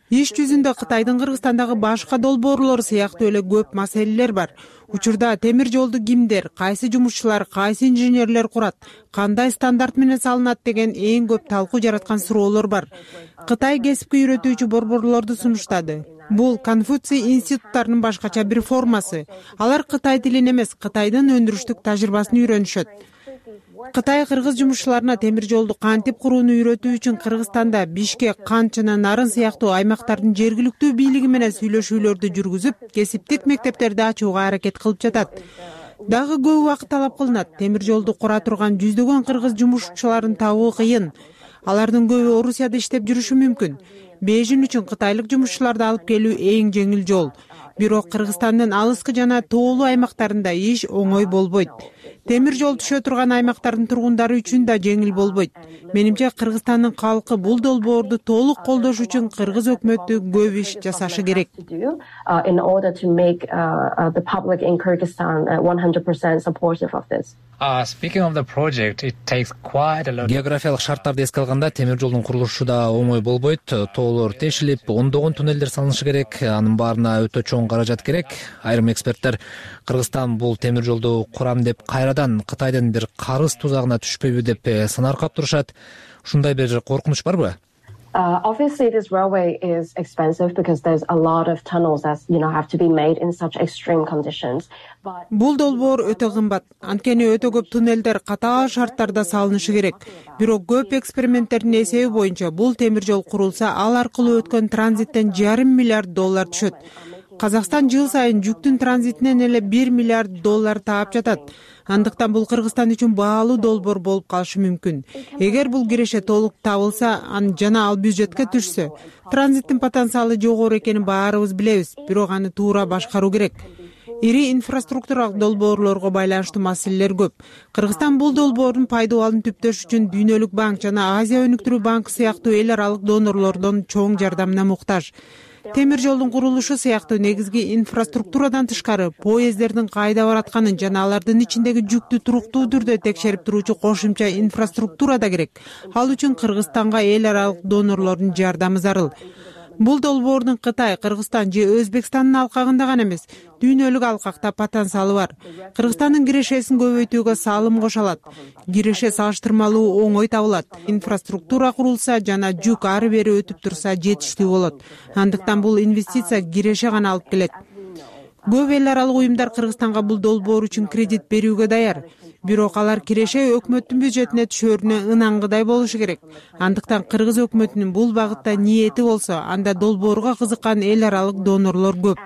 Иш жүзүндө Кытайдын Кыргызстандагы башка долбоорлору сыяктуу эле көп маселелер бар. Учурда темир жолду кимдер, кайсы жумушчулар, кайсы инженерлер курат, кандай стандарт менен салынат деген эң көп талкуу жараткан суроолор бар. Кытай кесипке үйрөтүүчү борборлорду сунуштады. Бул Конфуций институттарынын башкача бир формасы. Алар Кытай тилин эмес, Кытайдын өндүрүштүк тажрыйбасын үйрөнүшөт. Кытай кыргыз жумушчуларына темир жолду кантип курууну үйрөтүү үчүн Кыргызстанда Бишкек, Кант жана Нарын сыяктуу аймактардын жергиликтүү бийлиги менен сүйлөшүүлөрдү жүргүзүп, кесиптик мектептерди ачууга аракет кылып жатат. Дагы көп убакыт талап кылынат. Темир жолду кура турган жүздөгөн кыргыз жумушчуларын табуу кыйын. Алардын көбү Орусияда иштеп жүрүшү мүмкүн. Бейжиң үчүн кытайлык жумушчуларды алып келүү эң жеңил жол. Бирок Кыргызстандын алыскы жана тоолуу аймактарында иш оңой болбойт. Темир жол түшө турган аймактардын тургундары үчүн да жеңил болбойт. Менимче Кыргызстандын калкы бул долбоорду толук колдош үчүн кыргыз өкмөтү көп иш жасашы керек. In order to make the public in Kyrgyzstan 100% supportive of this. Speaking of the project, it takes quite a lot. Географиялык шарттарды эске алганда темир жолдун курулушу да оңой болбойт. Тоолор тешилип, ондогон туннелдер салынышы керек. Анын баарына өтө чоң каражат керек. Айрым эксперттер Кыргызстан бул темир жолду курам деп кайрадан Кытайдын бир карыз тузагына түшпөйбү деп санаркап турушат. Ушундай бир коркунуч барбы? Obviously, this railway is expensive because there's a lot of tunnels that have to be made in such extreme conditions. Бул долбоор өтө кымбат. Анткени өтө көп туннелдер катаал шарттарда салынышы керек. Бирок көп эксперименттердин эсеби боюнча бул темир жол курулса, ал аркылуу өткөн транзиттен $500 миллиард түшөт. Казакстан жыл сайын жүктүн транзитинен эле $1 миллиард таап жатат. Андыктан бул Кыргызстан үчүн баалуу долбоор болуп калышы мүмкүн. Эгер бул киреше толук табылса, жана ал бюджетке түшсө, транзиттин потенциалы жогору экенин баарыбыз билебиз, бирок аны туура башкаруу керек. Ири инфраструктуралык долбоорлорго байланыштуу маселелер көп. Кыргызстан бул долбоордун пайдалануун түптөш үчүн Дүйнөлүк банк жана Азия өнүктүрүү банкы сыяктуу эл аралык донорлордон чоң жардамына муктаж. Темир жолдун курулушу сыяктуу негизги инфраструктурадан тышкары поезддердин кайда баратканын жана алардын ичиндеги жүктү туруктуу түрдө текшерип туруучу кошумча инфраструктура да керек. Ал үчүн Кыргызстанга эл аралык донорлордун жардамы зарыл. Бул долбоордун Кытай, Кыргызстан же Өзбекстандын алкагында гана эмес, дүйнөлүк алкакта потенциалы бар. Кыргызстандын кирешесин көбөйтүүгө салым кошолот. Киреше салыштырмалуу оңой табылат. Инфраструктура курулса жана жүк ары бери өтүп турса жетиштүү болот. Андыктан бул инвестиция киреше гана алып келет. Көп эл аралык уюмдар Кыргызстанга бул долбоор үчүн кредит берүүгө даяр. Бирок алар киреше өкмөттүн бюджетине түшөрүнө ынангыдай болушу керек. Андыктан кыргыз өкмөтүнүн бул багытта ниети болсо, анда долбоорго кызыккан эл аралык донорлор көп.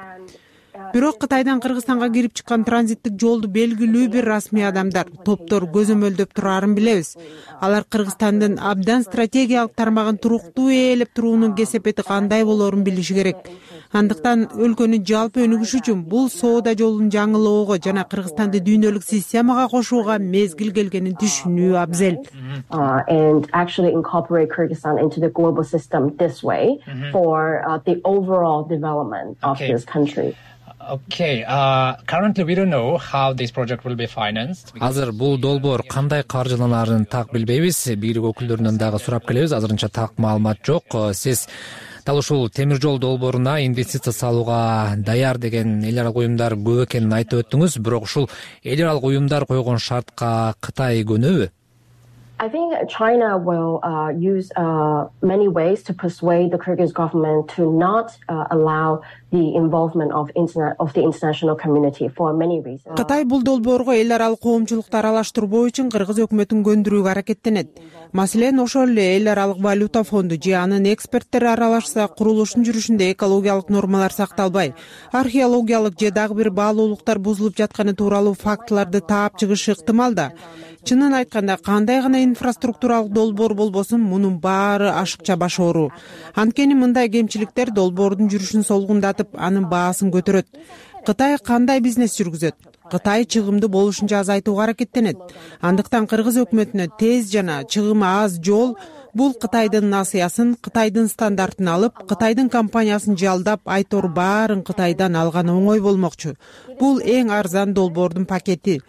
бирок Кытайдан Кыргызстанга кирип чыккан транзиттик жолду белгилүү бир расмий адамдар, топтор көзөмөлдөп турарын билебиз. Алар Кыргызстандын абдан стратегиялык тармагын туруктуу ээлеп туруунун кесепети кандай болоорун билиши керек. Андыктан өлкөнүн жалпы өнүгүшү үчүн бул соода жолун жаңылоого жана Кыргызстанды дүйнөлүк системага кошууга мезгил келгенин түшүнүү абзел. And actually incorporate Kyrgyzstan into the global system this way for the overall development of this country. Okay. Currently we don't know how this project will be financed. Азыр бул долбоор кандай каржыланарын так билбейбиз. Бийлик өкүлдөрүнөн дагы сурап келебиз. Азырынча так маалымат жок. Сиз дал ушул темир жол долбооруна инвестиция салууга даяр деген эл аралык уюмдар көп экенин айтып өттүңүз. Бирок ушул эл аралык уюмдар койгон шартка Кытай көнөбү? I think China will use many ways to persuade the Kyrgyz government to not allow the involvement of the international community for many reasons. Кытай бул долбоорго эл аралык коомчулукту аралаштырбоо үчүн Кыргыз өкмөтүн көндүрүүгө аракеттенет. Маселен, ошол эле эл аралык валюта фонду же анын эксперттери аралашса, курулуштун жүрүшүндө экологиялык нормалар сакталбай, археологиялык же дагы бир баалуулуктар бузулуп жатканы тууралуу фактыларды таап чыгышы ыктымал да. Чынын айтканда, кандай гана инфраструктуралык долбоор болбосун, мунун баары ашыкча баш оору. Анткени мындай кемчиликтер долбоордун жүрүшүн солгундатып, анын баасын көтөрөт. Кытай кандай бизнес жүргүзөт? Кытай чыгымды болушунча азайтууга аракеттенет. Андыктан Кыргыз өкмөтүнө тез жана чыгымы аз жол бул Кытайдын насыясын, Кытайдын стандартын алып, Кытайдын компаниясын жалдап, айтор баарын Кытайдан алган оңой болмокчу. Бул эң арзан долбоордун пакети.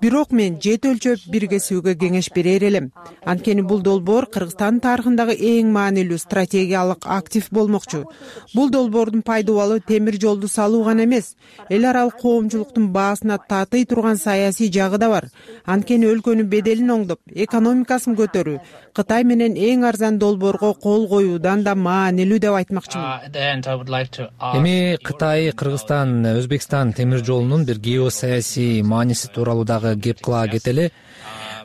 Бирок мен жет өлчөп биргесүүгө кеңеш берер элем. Анткени бул долбоор Кыргызстан тарыхындагы эң маанилүү стратегиялык актив болмокчу. Бул долбоордун пайдубалы темир жолду салуу гана эмес, эл аралык коомчулуктун баасына татый турган саясий жагы да бар. Анткени өлкөнүн беделин оңдоп, экономикасын көтөрүү Кытай менен эң арзан долбоорго кол коюудан да маанилүү деп айтмакчымын. Эми Кытай, Кыргызстан, Өзбекстан темир жолунун бир геосаясий мааниси тууралуу дагы кеп кыла кетели.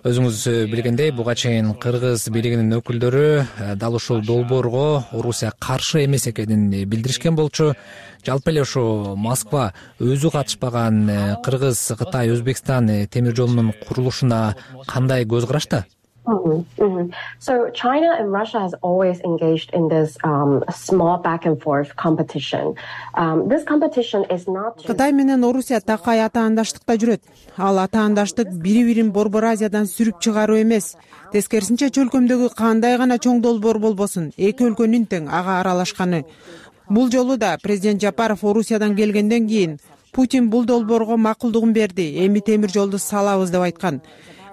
Өзүңүз билгендей, буга чейин Кыргыз бийлигинин өкүлдөрү дал ушул долбоорго Орусия каршы эмес экенин билдиришкен болчу. Жалпы эле ушу Москва өзү катышпаган Кыргыз, Кытай, Өзбекстан темир жолунун курулушуна кандай көз карашта? So China and Russia has always engaged in this small back and forth competition. This competition is not. Кытай менен Орусия такай атаандаштыкта жүрөт. Ал атаандаштык бири-бирин Борбор Азиядан сүрүп чыгаруу эмес. Тескерисинче чөлкөмдөгү кандай гана чоң долбоор болбосун, эки өлкөнүн тең ага аралашканы. Бул жолу да президент Жапаров Орусиядан келгенден кийин Путин бул долбоорго макулдугун берди. Эми темир жолду салабыз деп айткан.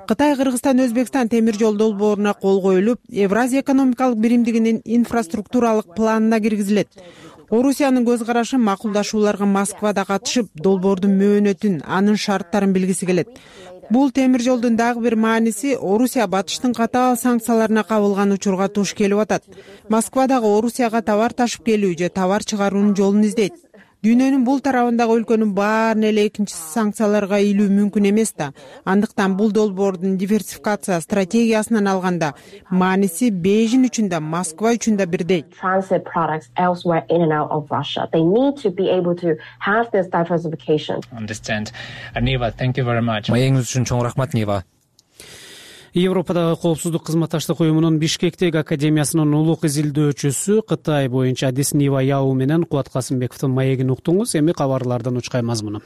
Кытай, Кыргызстан, Өзбекстан темир жол долбооруна кол коюлуп, Евразия экономикалык биримдигинин инфраструктуралык планына киргизилет. Орусиянын көз карашы макулдашууларга Москвада катышып, долбоордун мөөнөтүн, анын шарттарын билгиси келет. Бул темир жолдун дагы бир мааниси Орусия батыштын катаал санкцияларына кабылган учурга туш келип атат. Москва дагы Орусияга товар ташып келүү же товар чыгаруунун жолун издейт. Дүйнөнүн бул тарабындагы өлкөнүн баарын эле экинчи санкцияларга илүү мүмкүн эмес да. Андыктан бул долбоордун диверсификация стратегиясынан алганда мааниси Бейжин үчүн да, Москва үчүн да бирдей. Transit products elsewhere in and out of Russia. They need to be able to have this diversification. Understand. Niva, thank you very much. Маегиңиз үчүн чоң рахмат, Нива. Европадагы коопсуздук кызматташтык уюмунун Бишкектеги академиясынын улук изилдөөчүсү Кытай боюнча адис Нива Яу менен Кубат Касымбековдун маегин уктуңуз. Эми кабарлардан учкай мазмуну.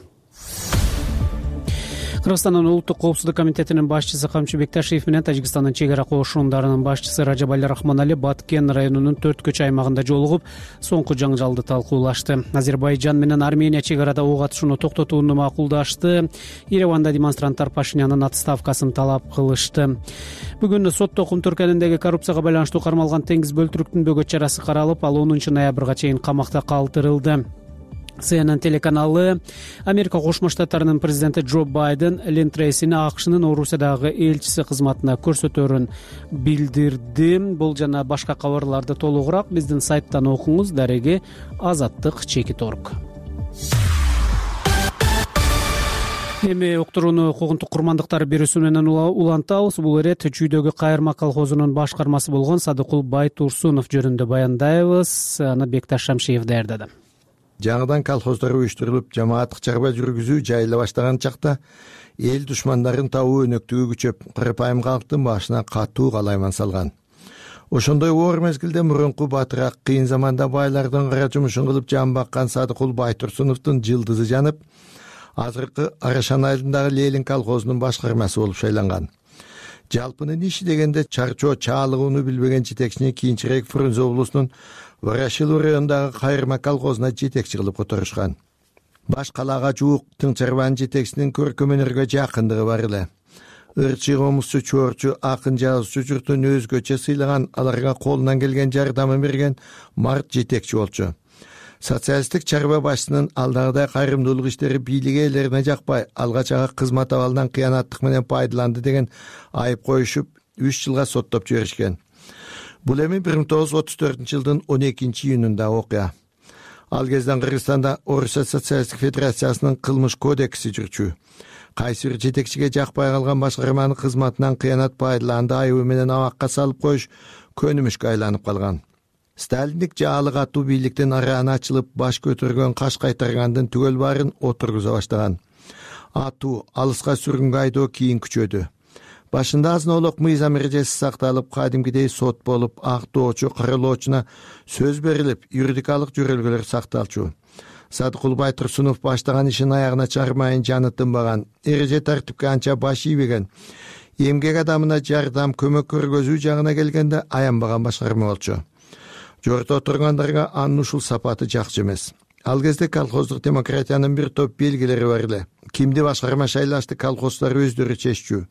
Кыргызстандын улуттук коопсуздук комитетинин башчысы Камчы Бекташиев менен Тажикстандын чек ара кошундарынын башчысы Ражабали Рахманали Баткен районунун 4 аймагында жолугуп, соңку жаңжалды талкуулашты. Азербайжан менен Армения чек арада ок атышууну токтотууну макулдашты. Ереванда демонстранттар Пашинянын отставкасын талап кылышты. Бүгүн сотто Кум Түркөнүндөгү коррупцияга байланыштуу кармалган Теңиз Бөлтүрүктүн бөгөт чарасы каралып, ал 10 ноябрга чейин камакта калтырылды. CNN телеканалы Америка Кошмо Штаттарынын президенти Джо Байден Лин Трейсини АКШнын Орусиядагы элчиси кызматына көрсөтөөрүн билдирди. Бул жана башка кабарларды толугураак биздин сайттан окуңуз. Дареги Азаттык.org. Эми уктурууну Куугунтук курмандыктар бирөөсү менен улантабыз. Бул ирет Чүйдөгү Кайырма колхозунун башкармасы болгон Садыкул Байтурсунов жөнүндө баяндайбыз. Аны Бекташ Шамшиев даярдады. жаңыдан колхоздор уюштурулуп жамааттык чарба жүргүзүү жайыла баштаган чакта эл душмандарын табуу өнөктүгү күчөп, кырпайым калктын башына катуу калайман салган. Ошондой оор мезгилде мурунку батыраак кыйын заманда байлардын кара жумушун кылып жан баккан Садыкул Байтурсуновдун жылдызы жанып, азыркы Арашан айылындагы Лелин колхозунун башкармасы болуп шайланган. Жалпынын иши дегенде чарчоо чаалыгууну билбеген жетекчини кийинчерээк Фрунзе облусунун Ворошилов районундагы Кайырма колхозуна жетекчи кылып которушкан. Баш калаага жуук тың чарбанын жетекчисинин көркөм өнөргө жакындыгы бар эле. Ырчы, комузчу, чуорчу, акын, жазуучу журтун өзгөчө сыйлаган, аларга колунан келген жардамын берген март жетекчи болчу. Социалисттик чарба башчысынын алдагыдай кайрымдуулук иштери бийлик ээлерине жакпай, алгач ага кызмат абалынан кыянаттык менен пайдаланды деген айып коюшуп, 3 жылга соттоп жиберишкен. Бул эми 1934-жылдын 12-июнунда окуя. Ал кезден Кыргызстанда Орусия социалисттик федерациясынын кылмыш кодекси жүрчү. Кайсы бир жетекчиге жакпай калган башкарманын кызматынан кыянат пайдаланды айыбы менен абакка салып коюш көнүмүшкө айланып калган. Сталиндик жаалы катуу бийликтин арааны ачылып, баш көтөргөн каш кайтаргандын түгөл баарын отургуза баштаган. Атуу, алыска сүргүнгө айдоо кийин күчөдү. Башында азынолук мыйзам эрежеси сакталып, кадимкидей сот болуп, актоочу, каралоочуна сөз берилип, юридикалык жөрөлгөлөр сакталчу. Садыкул Байтурсунов баштаган ишин аягына чыгармайын жаны тынбаган, эреже тартипке анча баш ийбеген. Эмгек адамына жардам, көмөк көргөзүү жагына келгенде аянбаган башкарма болчу. Жорто отургандарга анын ушул сапаты жакчы эмес. Ал кезде колхоздук демократиянын бир топ белгилери бар эле. Кимди башкарма шайлашты колхоздар өздөрү чеччү.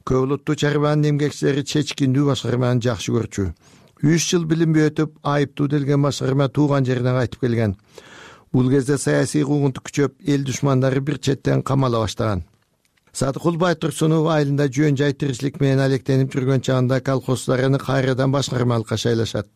Көбүлүттүү чарбанын эмгекчилери чечкиндүү башкарманы жакшы көрчү. 3 жыл билинбей өтүп, айыптуу делген башкарма тууган жерине кайтып келген. Бул кезде саясий куугунтук күчөп, эл душмандары бир четтен камала баштаган. Садыкул Байтурсунов айылында жөн жай тиричилик менен алектенип жүргөн чагында колхоздорун кайрадан башкармалыкка шайлашат.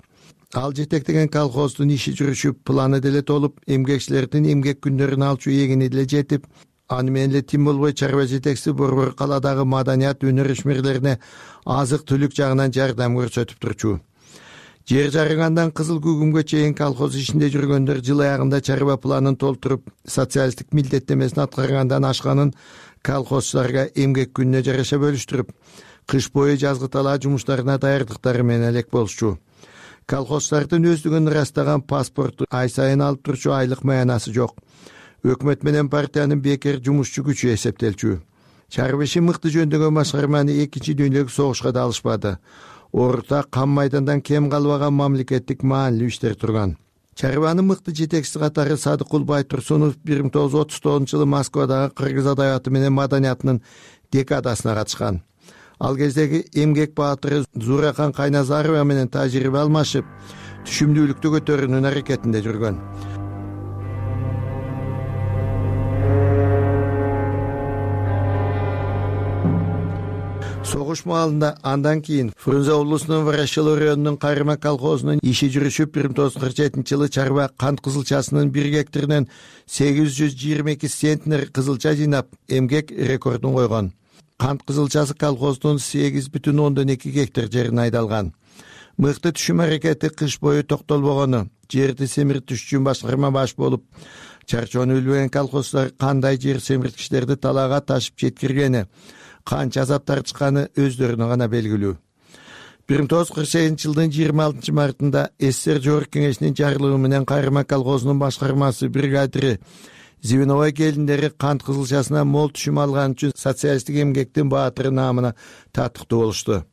Ал жетектеген колхоздун иши жүрүшүп, планы деле толуп, эмгекчилердин эмгек күндөрүн алчу эгини деле жетип, аны менен эле тим болбой чарба жетекчиси борбор калаадагы маданият өнөр ишмерлерине азык-түлүк жагынан жардам көрсөтүп турчу. Жер жарыгандан кызыл күгүмгө чейин колхоз ишинде жүргөндөр жыл аягында чарба планын толтуруп, социалисттик милдеттемесин аткаргандан ашканын колхозчуларга эмгек күнүнө жараша бөлүштүрүп, кыш бою жазгы талаа жумуштарына даярдыктары менен элек болчу. Колхозчулардын өздүгүн ырастаган паспорту ай сайын алып турчу айлык маянасы жок. Өкмөт менен партиянын бекер жумушчу күчү эсептелчү. Чарба ишин мыкты жөндөгөн башкарманы 2 дүйнөлүк согушка да алышпады. Орта кам майдандан кем калбаган мамлекеттик маанилүү иштер турган. Чарбанын мыкты жетекчиси катары Садыкул Байтурсунов 1939-жылы Москвадагы кыргыз адабияты менен маданиятынын декадасына катышкан. Ал кездеги эмгек баатыры Зурахан Кайназарова менен тажрыйба алмашып, түшүмдүүлүктү көтөрүүнүн аракетинде жүргөн. Согуш маалында андан кийин Фрунзе облусунун Ворошилов районунун Кайырма колхозунун иши жүрүшүп, 1947-жылы чарба кант кызылчасынын 1 гектарынан 822 центнер кызылча жыйнап, эмгек рекордун койгон. Кант кызылчасы колхоздун 8,2 гектар жерине айдалган. Мыкты түшүм аракети кыш бою токтолбогону, жерди семиртиш үчүн башкарма баш болуп, чарчоону билбеген колхоздар кандай жер семирткичтерди талаага ташып жеткиргени, канча азап тартышканы өздөрүнө гана белгилүү. 1948-жылдын 26 мартында СССР Жогорку Кеңешинин жарлыгы менен Кайырма колхозунун башкармасы бригадири Звеновой келиндери кант кызылчасына мол түшүм алган үчүн социалисттик эмгектин баатыры наамына татыктуу болушту.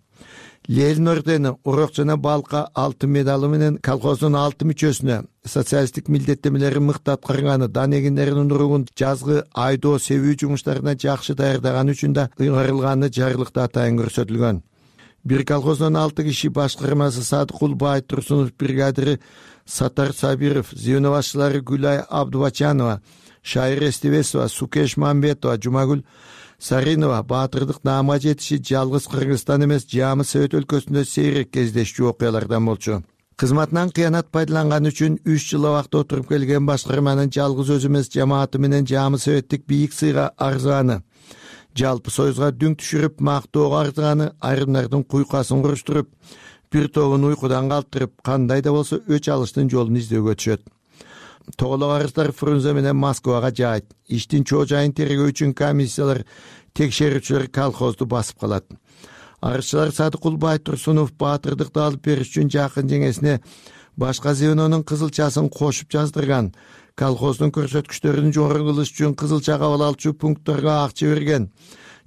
Ленин ордени, урок жана балка алтын медалы менен колхоздун 6 мүчөсүнө социалисттик милдеттемелерин мыкты аткарганы, дан эгиндеринин уругун жазгы айдоо себүү жумуштарына жакшы даярдаганы үчүн да ыйгарылганы жарлыкта атайын көрсөтүлгөн. Бир колхоздон 6 киши башкармасы Садыкул Байтурсунов, бригадири Сатар Сабиров, звено башчылары Гүлай Абдубачанова, Шайыр Эстебесова, Сукеш Мамбетова, Жумагүл Саринова баатырдык наамга жетиши жалгыз Кыргызстан эмес, Жамы Совет өлкөсүндө сейрек кездешчү окуялардан болчу. Кызматынан кыянат пайдаланган үчүн 3 жыл абакта отуруп келген башкарманын жалгыз өзү эмес, жамааты менен Жамы Советтик бийик сыйга арзыганы, жалпы союзга дүң түшүрүп мактоого арзыганы, айрымдардын куйкасын куруштуруп, бир тобун уйкудан калтырып, кандай да болсо өч алыштын жолун издөөгө түшөт. тоголок арыздар Фрунзе менен Москвага жаайт. Иштин чоо жайын тергөө үчүн комиссиялар, текшерүүчүлөр колхозду басып калат. Арызчылар Садыкул Байтурсунов баатырдыкты алып бериш үчүн жакын жеңесине башка звенонун кызылчасын кошуп жаздырган. Колхоздун көрсөткүчтөрүн жогору кылыш үчүн кызылча кабыл алчу пунктторго акча берген.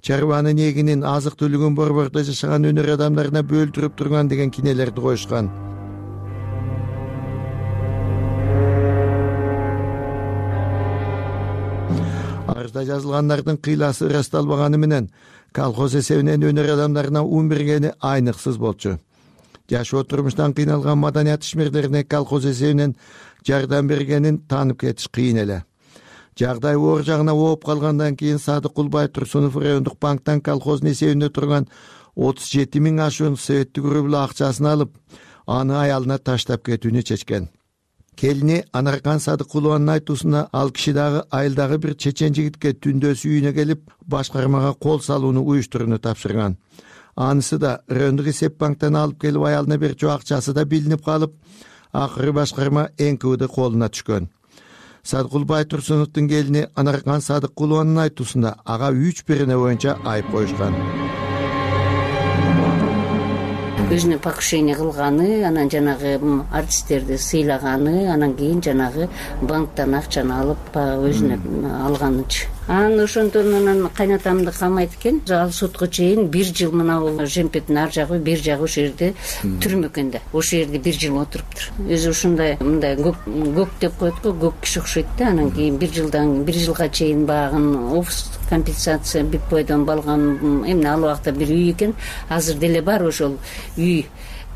Чарбанын эгинин, азык түлүгүн борбордо жашаган өнөр адамдарына бөлдүрүп турган деген кинелерди коюшкан. Арызда жазылгандардын кыйласы ырасталбаганы менен колхоз эсебинен өнөр адамдарына ун бергени айныксыз болчу. Жашоо турмуштан кыйналган маданият ишмерлерине колхоз эсебинен жардам бергенин таанып кетиш кыйын эле. Жагдай оор жагына ооп калгандан кийин Садыкул Байтурсунов райондук банктан колхоздун эсебинде турган 37 000 ашуун советтик рубль акчасын алып, аны аялына таштап кетүүнү чечкен. Келини Анаркан Садыкулованын айтуусунда ал киши дагы айылдагы бир чечен жигитке түндөсү үйүнө келип, башкармага кол салууну уюштурууну тапшырган. Анысы да райондук эсеп банктан алып келип аялына берчү акчасы да билинип калып, акыры башкарма НКВД колуна түшкөн. Садыкул Байтурсуновдун келини Анаркан Садыкулованын айтуусунда ага 3 берене боюнча айып коюшкан. Өзүнө покушение кылганы, анан жанагы артисттерди сыйлаганы, анан кийин жанагы банктан акчаны алып өзүнө алганычы. Анан ошондон анан кайнатамды камайт экен. Ал сотко чейин 1 жыл мына жемпеттин ар жагы, бир жагы ошол жерде түрмө экен да. Ошол жерде 1 жыл отуруптур. Өзү ушундай мындай көк деп коет го, көк киши окшойт да. Анан кийин 1 жылга чейин багын офис компенсация Битбойдон балган, эмне ал убакта бир үй экен. Азыр деле бар ошол үй.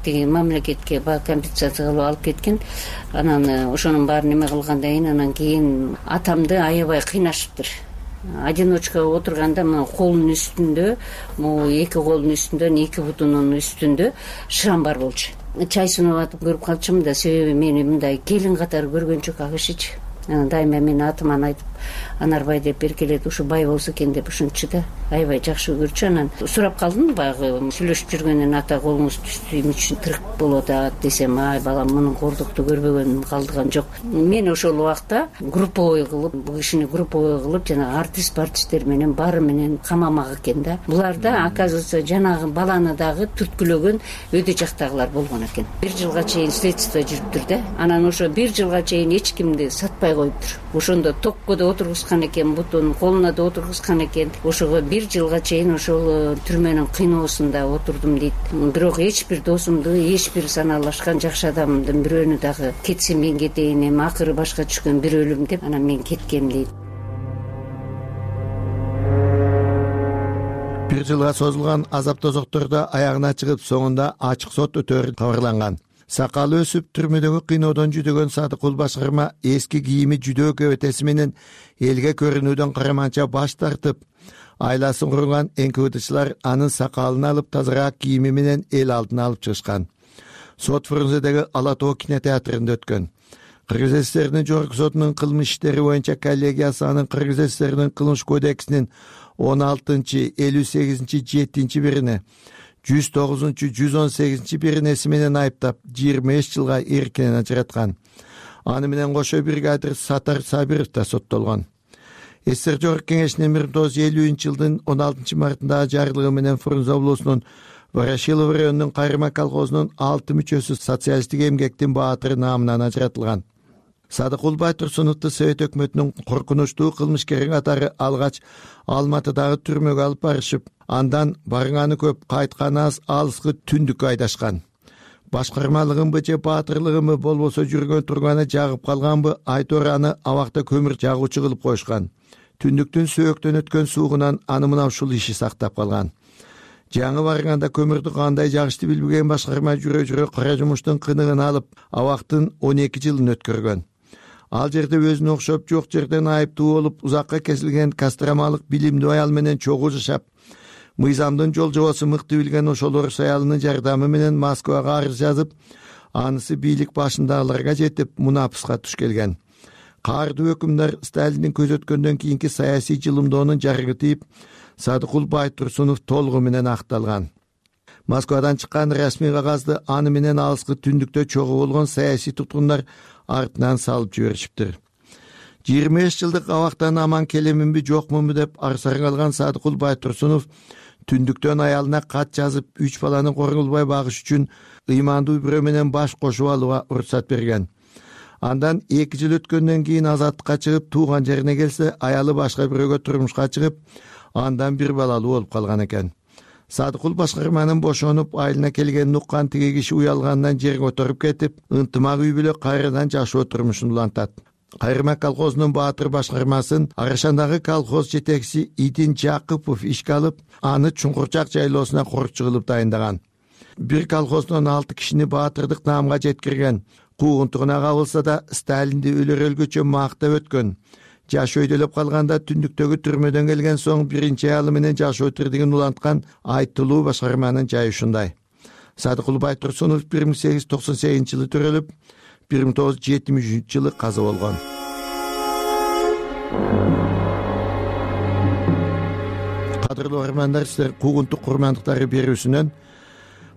Тиги мамлекетке компенсация кылып алып кеткен. Анан ошонун баарын эме кылгандан кийин атамды аябай кыйнашыптыр. Одиночка отурганда мына колунун үстүндө, могу 2 колунун үстүндө, 2 бутунун үстүндө шрам бар болчу. Чай сунуп атып көрүп калчумун да, себеби мени мындай келин катары көргөн жок ал кишичи. Дайыма мени атыман айтып, Анарбай деп эркелет, ушу бай болсо экен деп ушунчу да. Аябай жакшы көрчү. Анан сурап калдым, баягы сүйлөшүп жүргөндөн ата колуңуз түштү үчүн тырык болуп атат десем, ай балам мунун кордукту көрбөгөнүм калдыган жок. Мен ошол убакта групповой кылып, бул кишини групповой кылып, жана артисттер менен баары менен камамак экен да. Буларда оказывается жанагы баланы дагы түрткүлөгөн өйдө жактагылар болгон экен. 1 жылга чейин следствие жүрүптүр да. Анан ошо 1 жылга чейин эч кимди сатпай коюптур. Ошондо токко да отургузган экен, бутун колуна да отургузган экен. Ошого 1 жылга чейин ошол түрмөнүн кыйноосунда отурдум дейт. Бирок эч бир досумду, эч бир санаалашкан жакшы адамдын бирөөнү дагы кетсе мен кетейин, эми акыры башка түшкөн бир өлүм деп, анан мен кеткем дейт. 1 жылга созулган азап тозоктордо аягына чыгып, соңунда ачык сот өтөөрү кабарланган. Сакалы өсүп түрмөдөгү кыйноодон жүдөгөн Садыкул башкарма эски кийими жүдөө кебетеси менен элге көрүнүүдөн караманча баш тартып, айласын курган НКВДчылар анын сакалын алып, тазараак кийими менен эл алдына алып чыгышкан. Сот Фрунзедеги Ала Тоо кинотеатрында өткөн. Кыргыз ССРнин жогорку сотунун кылмыш иштери боюнча коллегиясы анын Кыргыз ССРнин кылмыш кодексинин 16-58-7 бирине 109-118 биринеси менен айыптап 25 жылга эркинен ажыраткан. Аны менен кошо бригадир Сатар Сабиров да соттолгон. ССР Жогорку Кеңешинин 1950-жылдын 16 мартындагы жарлыгы менен Фрунзе облусунун Ворошилов районунун Кайрыма колхозунун 6 мүчөсү социалисттик эмгектин баатыры наамынан ажыратылган. Садыкул Байтурсуновду Совет өкмөтүнүн коркунучтуу кылмышкери катары алгач Алматыдагы түрмөгө алып барышып, андан барганы көп, кайтканы аз алыскы түндүккө айдашкан. Башкармалыгынбы же баатырлыгынбы болбосо жүргөн турганы жагып калганбы, айтор аны абакта көмүр жагуучу кылып коюшкан. Түндүктүн сөөктөн өткөн суугунан аны мына ушул иши сактап калган. Жаңы барганда көмүрдү кандай жагышты билбеген башкарма жүрө кара жумуштун кыныгын алып, абактын 12 жылын өткөргөн. Ал жерде өзүнө окшоп жок жерден айыптуу болуп, узакка кесилген кастрамалык билимдүү аял менен чогуу жашап, мыйзамдын жол жобосун мыкты билген ошол орус аялынын жардамы менен Москвага арыз жазып, анысы бийлик башындагыларга жетип, мунапыска туш келген. Каардуу өкүмдар Сталиндин көзөткөндөн кийинки саясий жылымдоонун жарыгы тийип, Садыкул Байтурсунов толугу менен акталган. Москвадан чыккан расмий кагазды аны менен алыскы түндүктө чогуу болгон саясий туткундар артынан салып жиберишиптир. 25 жылдык абактан аман келеминби жокмунбу деп арсара калган Садыкул Байтурсунов түндүктөн аялына кат жазып 3 баланы корголбой багыш үчүн ыймандуу бирөө менен баш кошуп алууга уруксат берген. Андан 2 жыл өткөндөн кийин азаттыкка чыгып тууган жерине келсе, аялы башка бирөөгө турмушка чыгып, андан 1 балалуу болуп калган экен. Садыкул башкарманын бошонуп айылына келгенин уккан тиги киши уялгандан жерге отуруп кетип, ынтымак үй бүлө кайрадан жашоо турмушун улантат. Кайрма колхозунун Баатыр башкармасын Арашандагы колхоз жетекчиси Идин Жакыпов ишке алып, аны Чуңкурчак жайлоосуна корукчу кылып дайындаган. Бир колхоздон 6 кишини Баатырдык наамга жеткирген. Куугунтугуна кабылса да Сталинди өлөр-өлгүчө мактап өткөн. Жаш өйдөлөп калганда түндүктөгү түрмөдөн келген соң биринчи аялы менен жашоо тирдигин уланткан Айтылуу башкарманын жайы ушундай. Садыкул Байтурсунов 1898-жылы төрөлүп, 1973-жылы каза болгон. Кадырлуу армандар, силер Куугунтук курмандыктары берүүсүнөн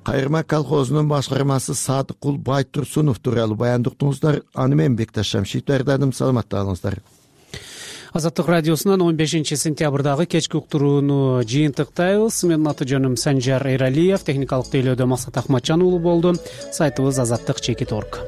Кайрма колхозунун башкармасы Садыкул Байтурсунов тууралуу баяндуктуңуздар. Аны мен Бекташ Шамшиев даярдадым. Саламатта калыңыздар. Азаттык радиосунан 15-сентябрдагы кечки уктурууну жыйынтыктайбыз. Менин аты жөнүм Санжар Эралиев, техникалык тейлөөдө Максат Ахматжан уулу болду. Сайтыбыз azattik.org.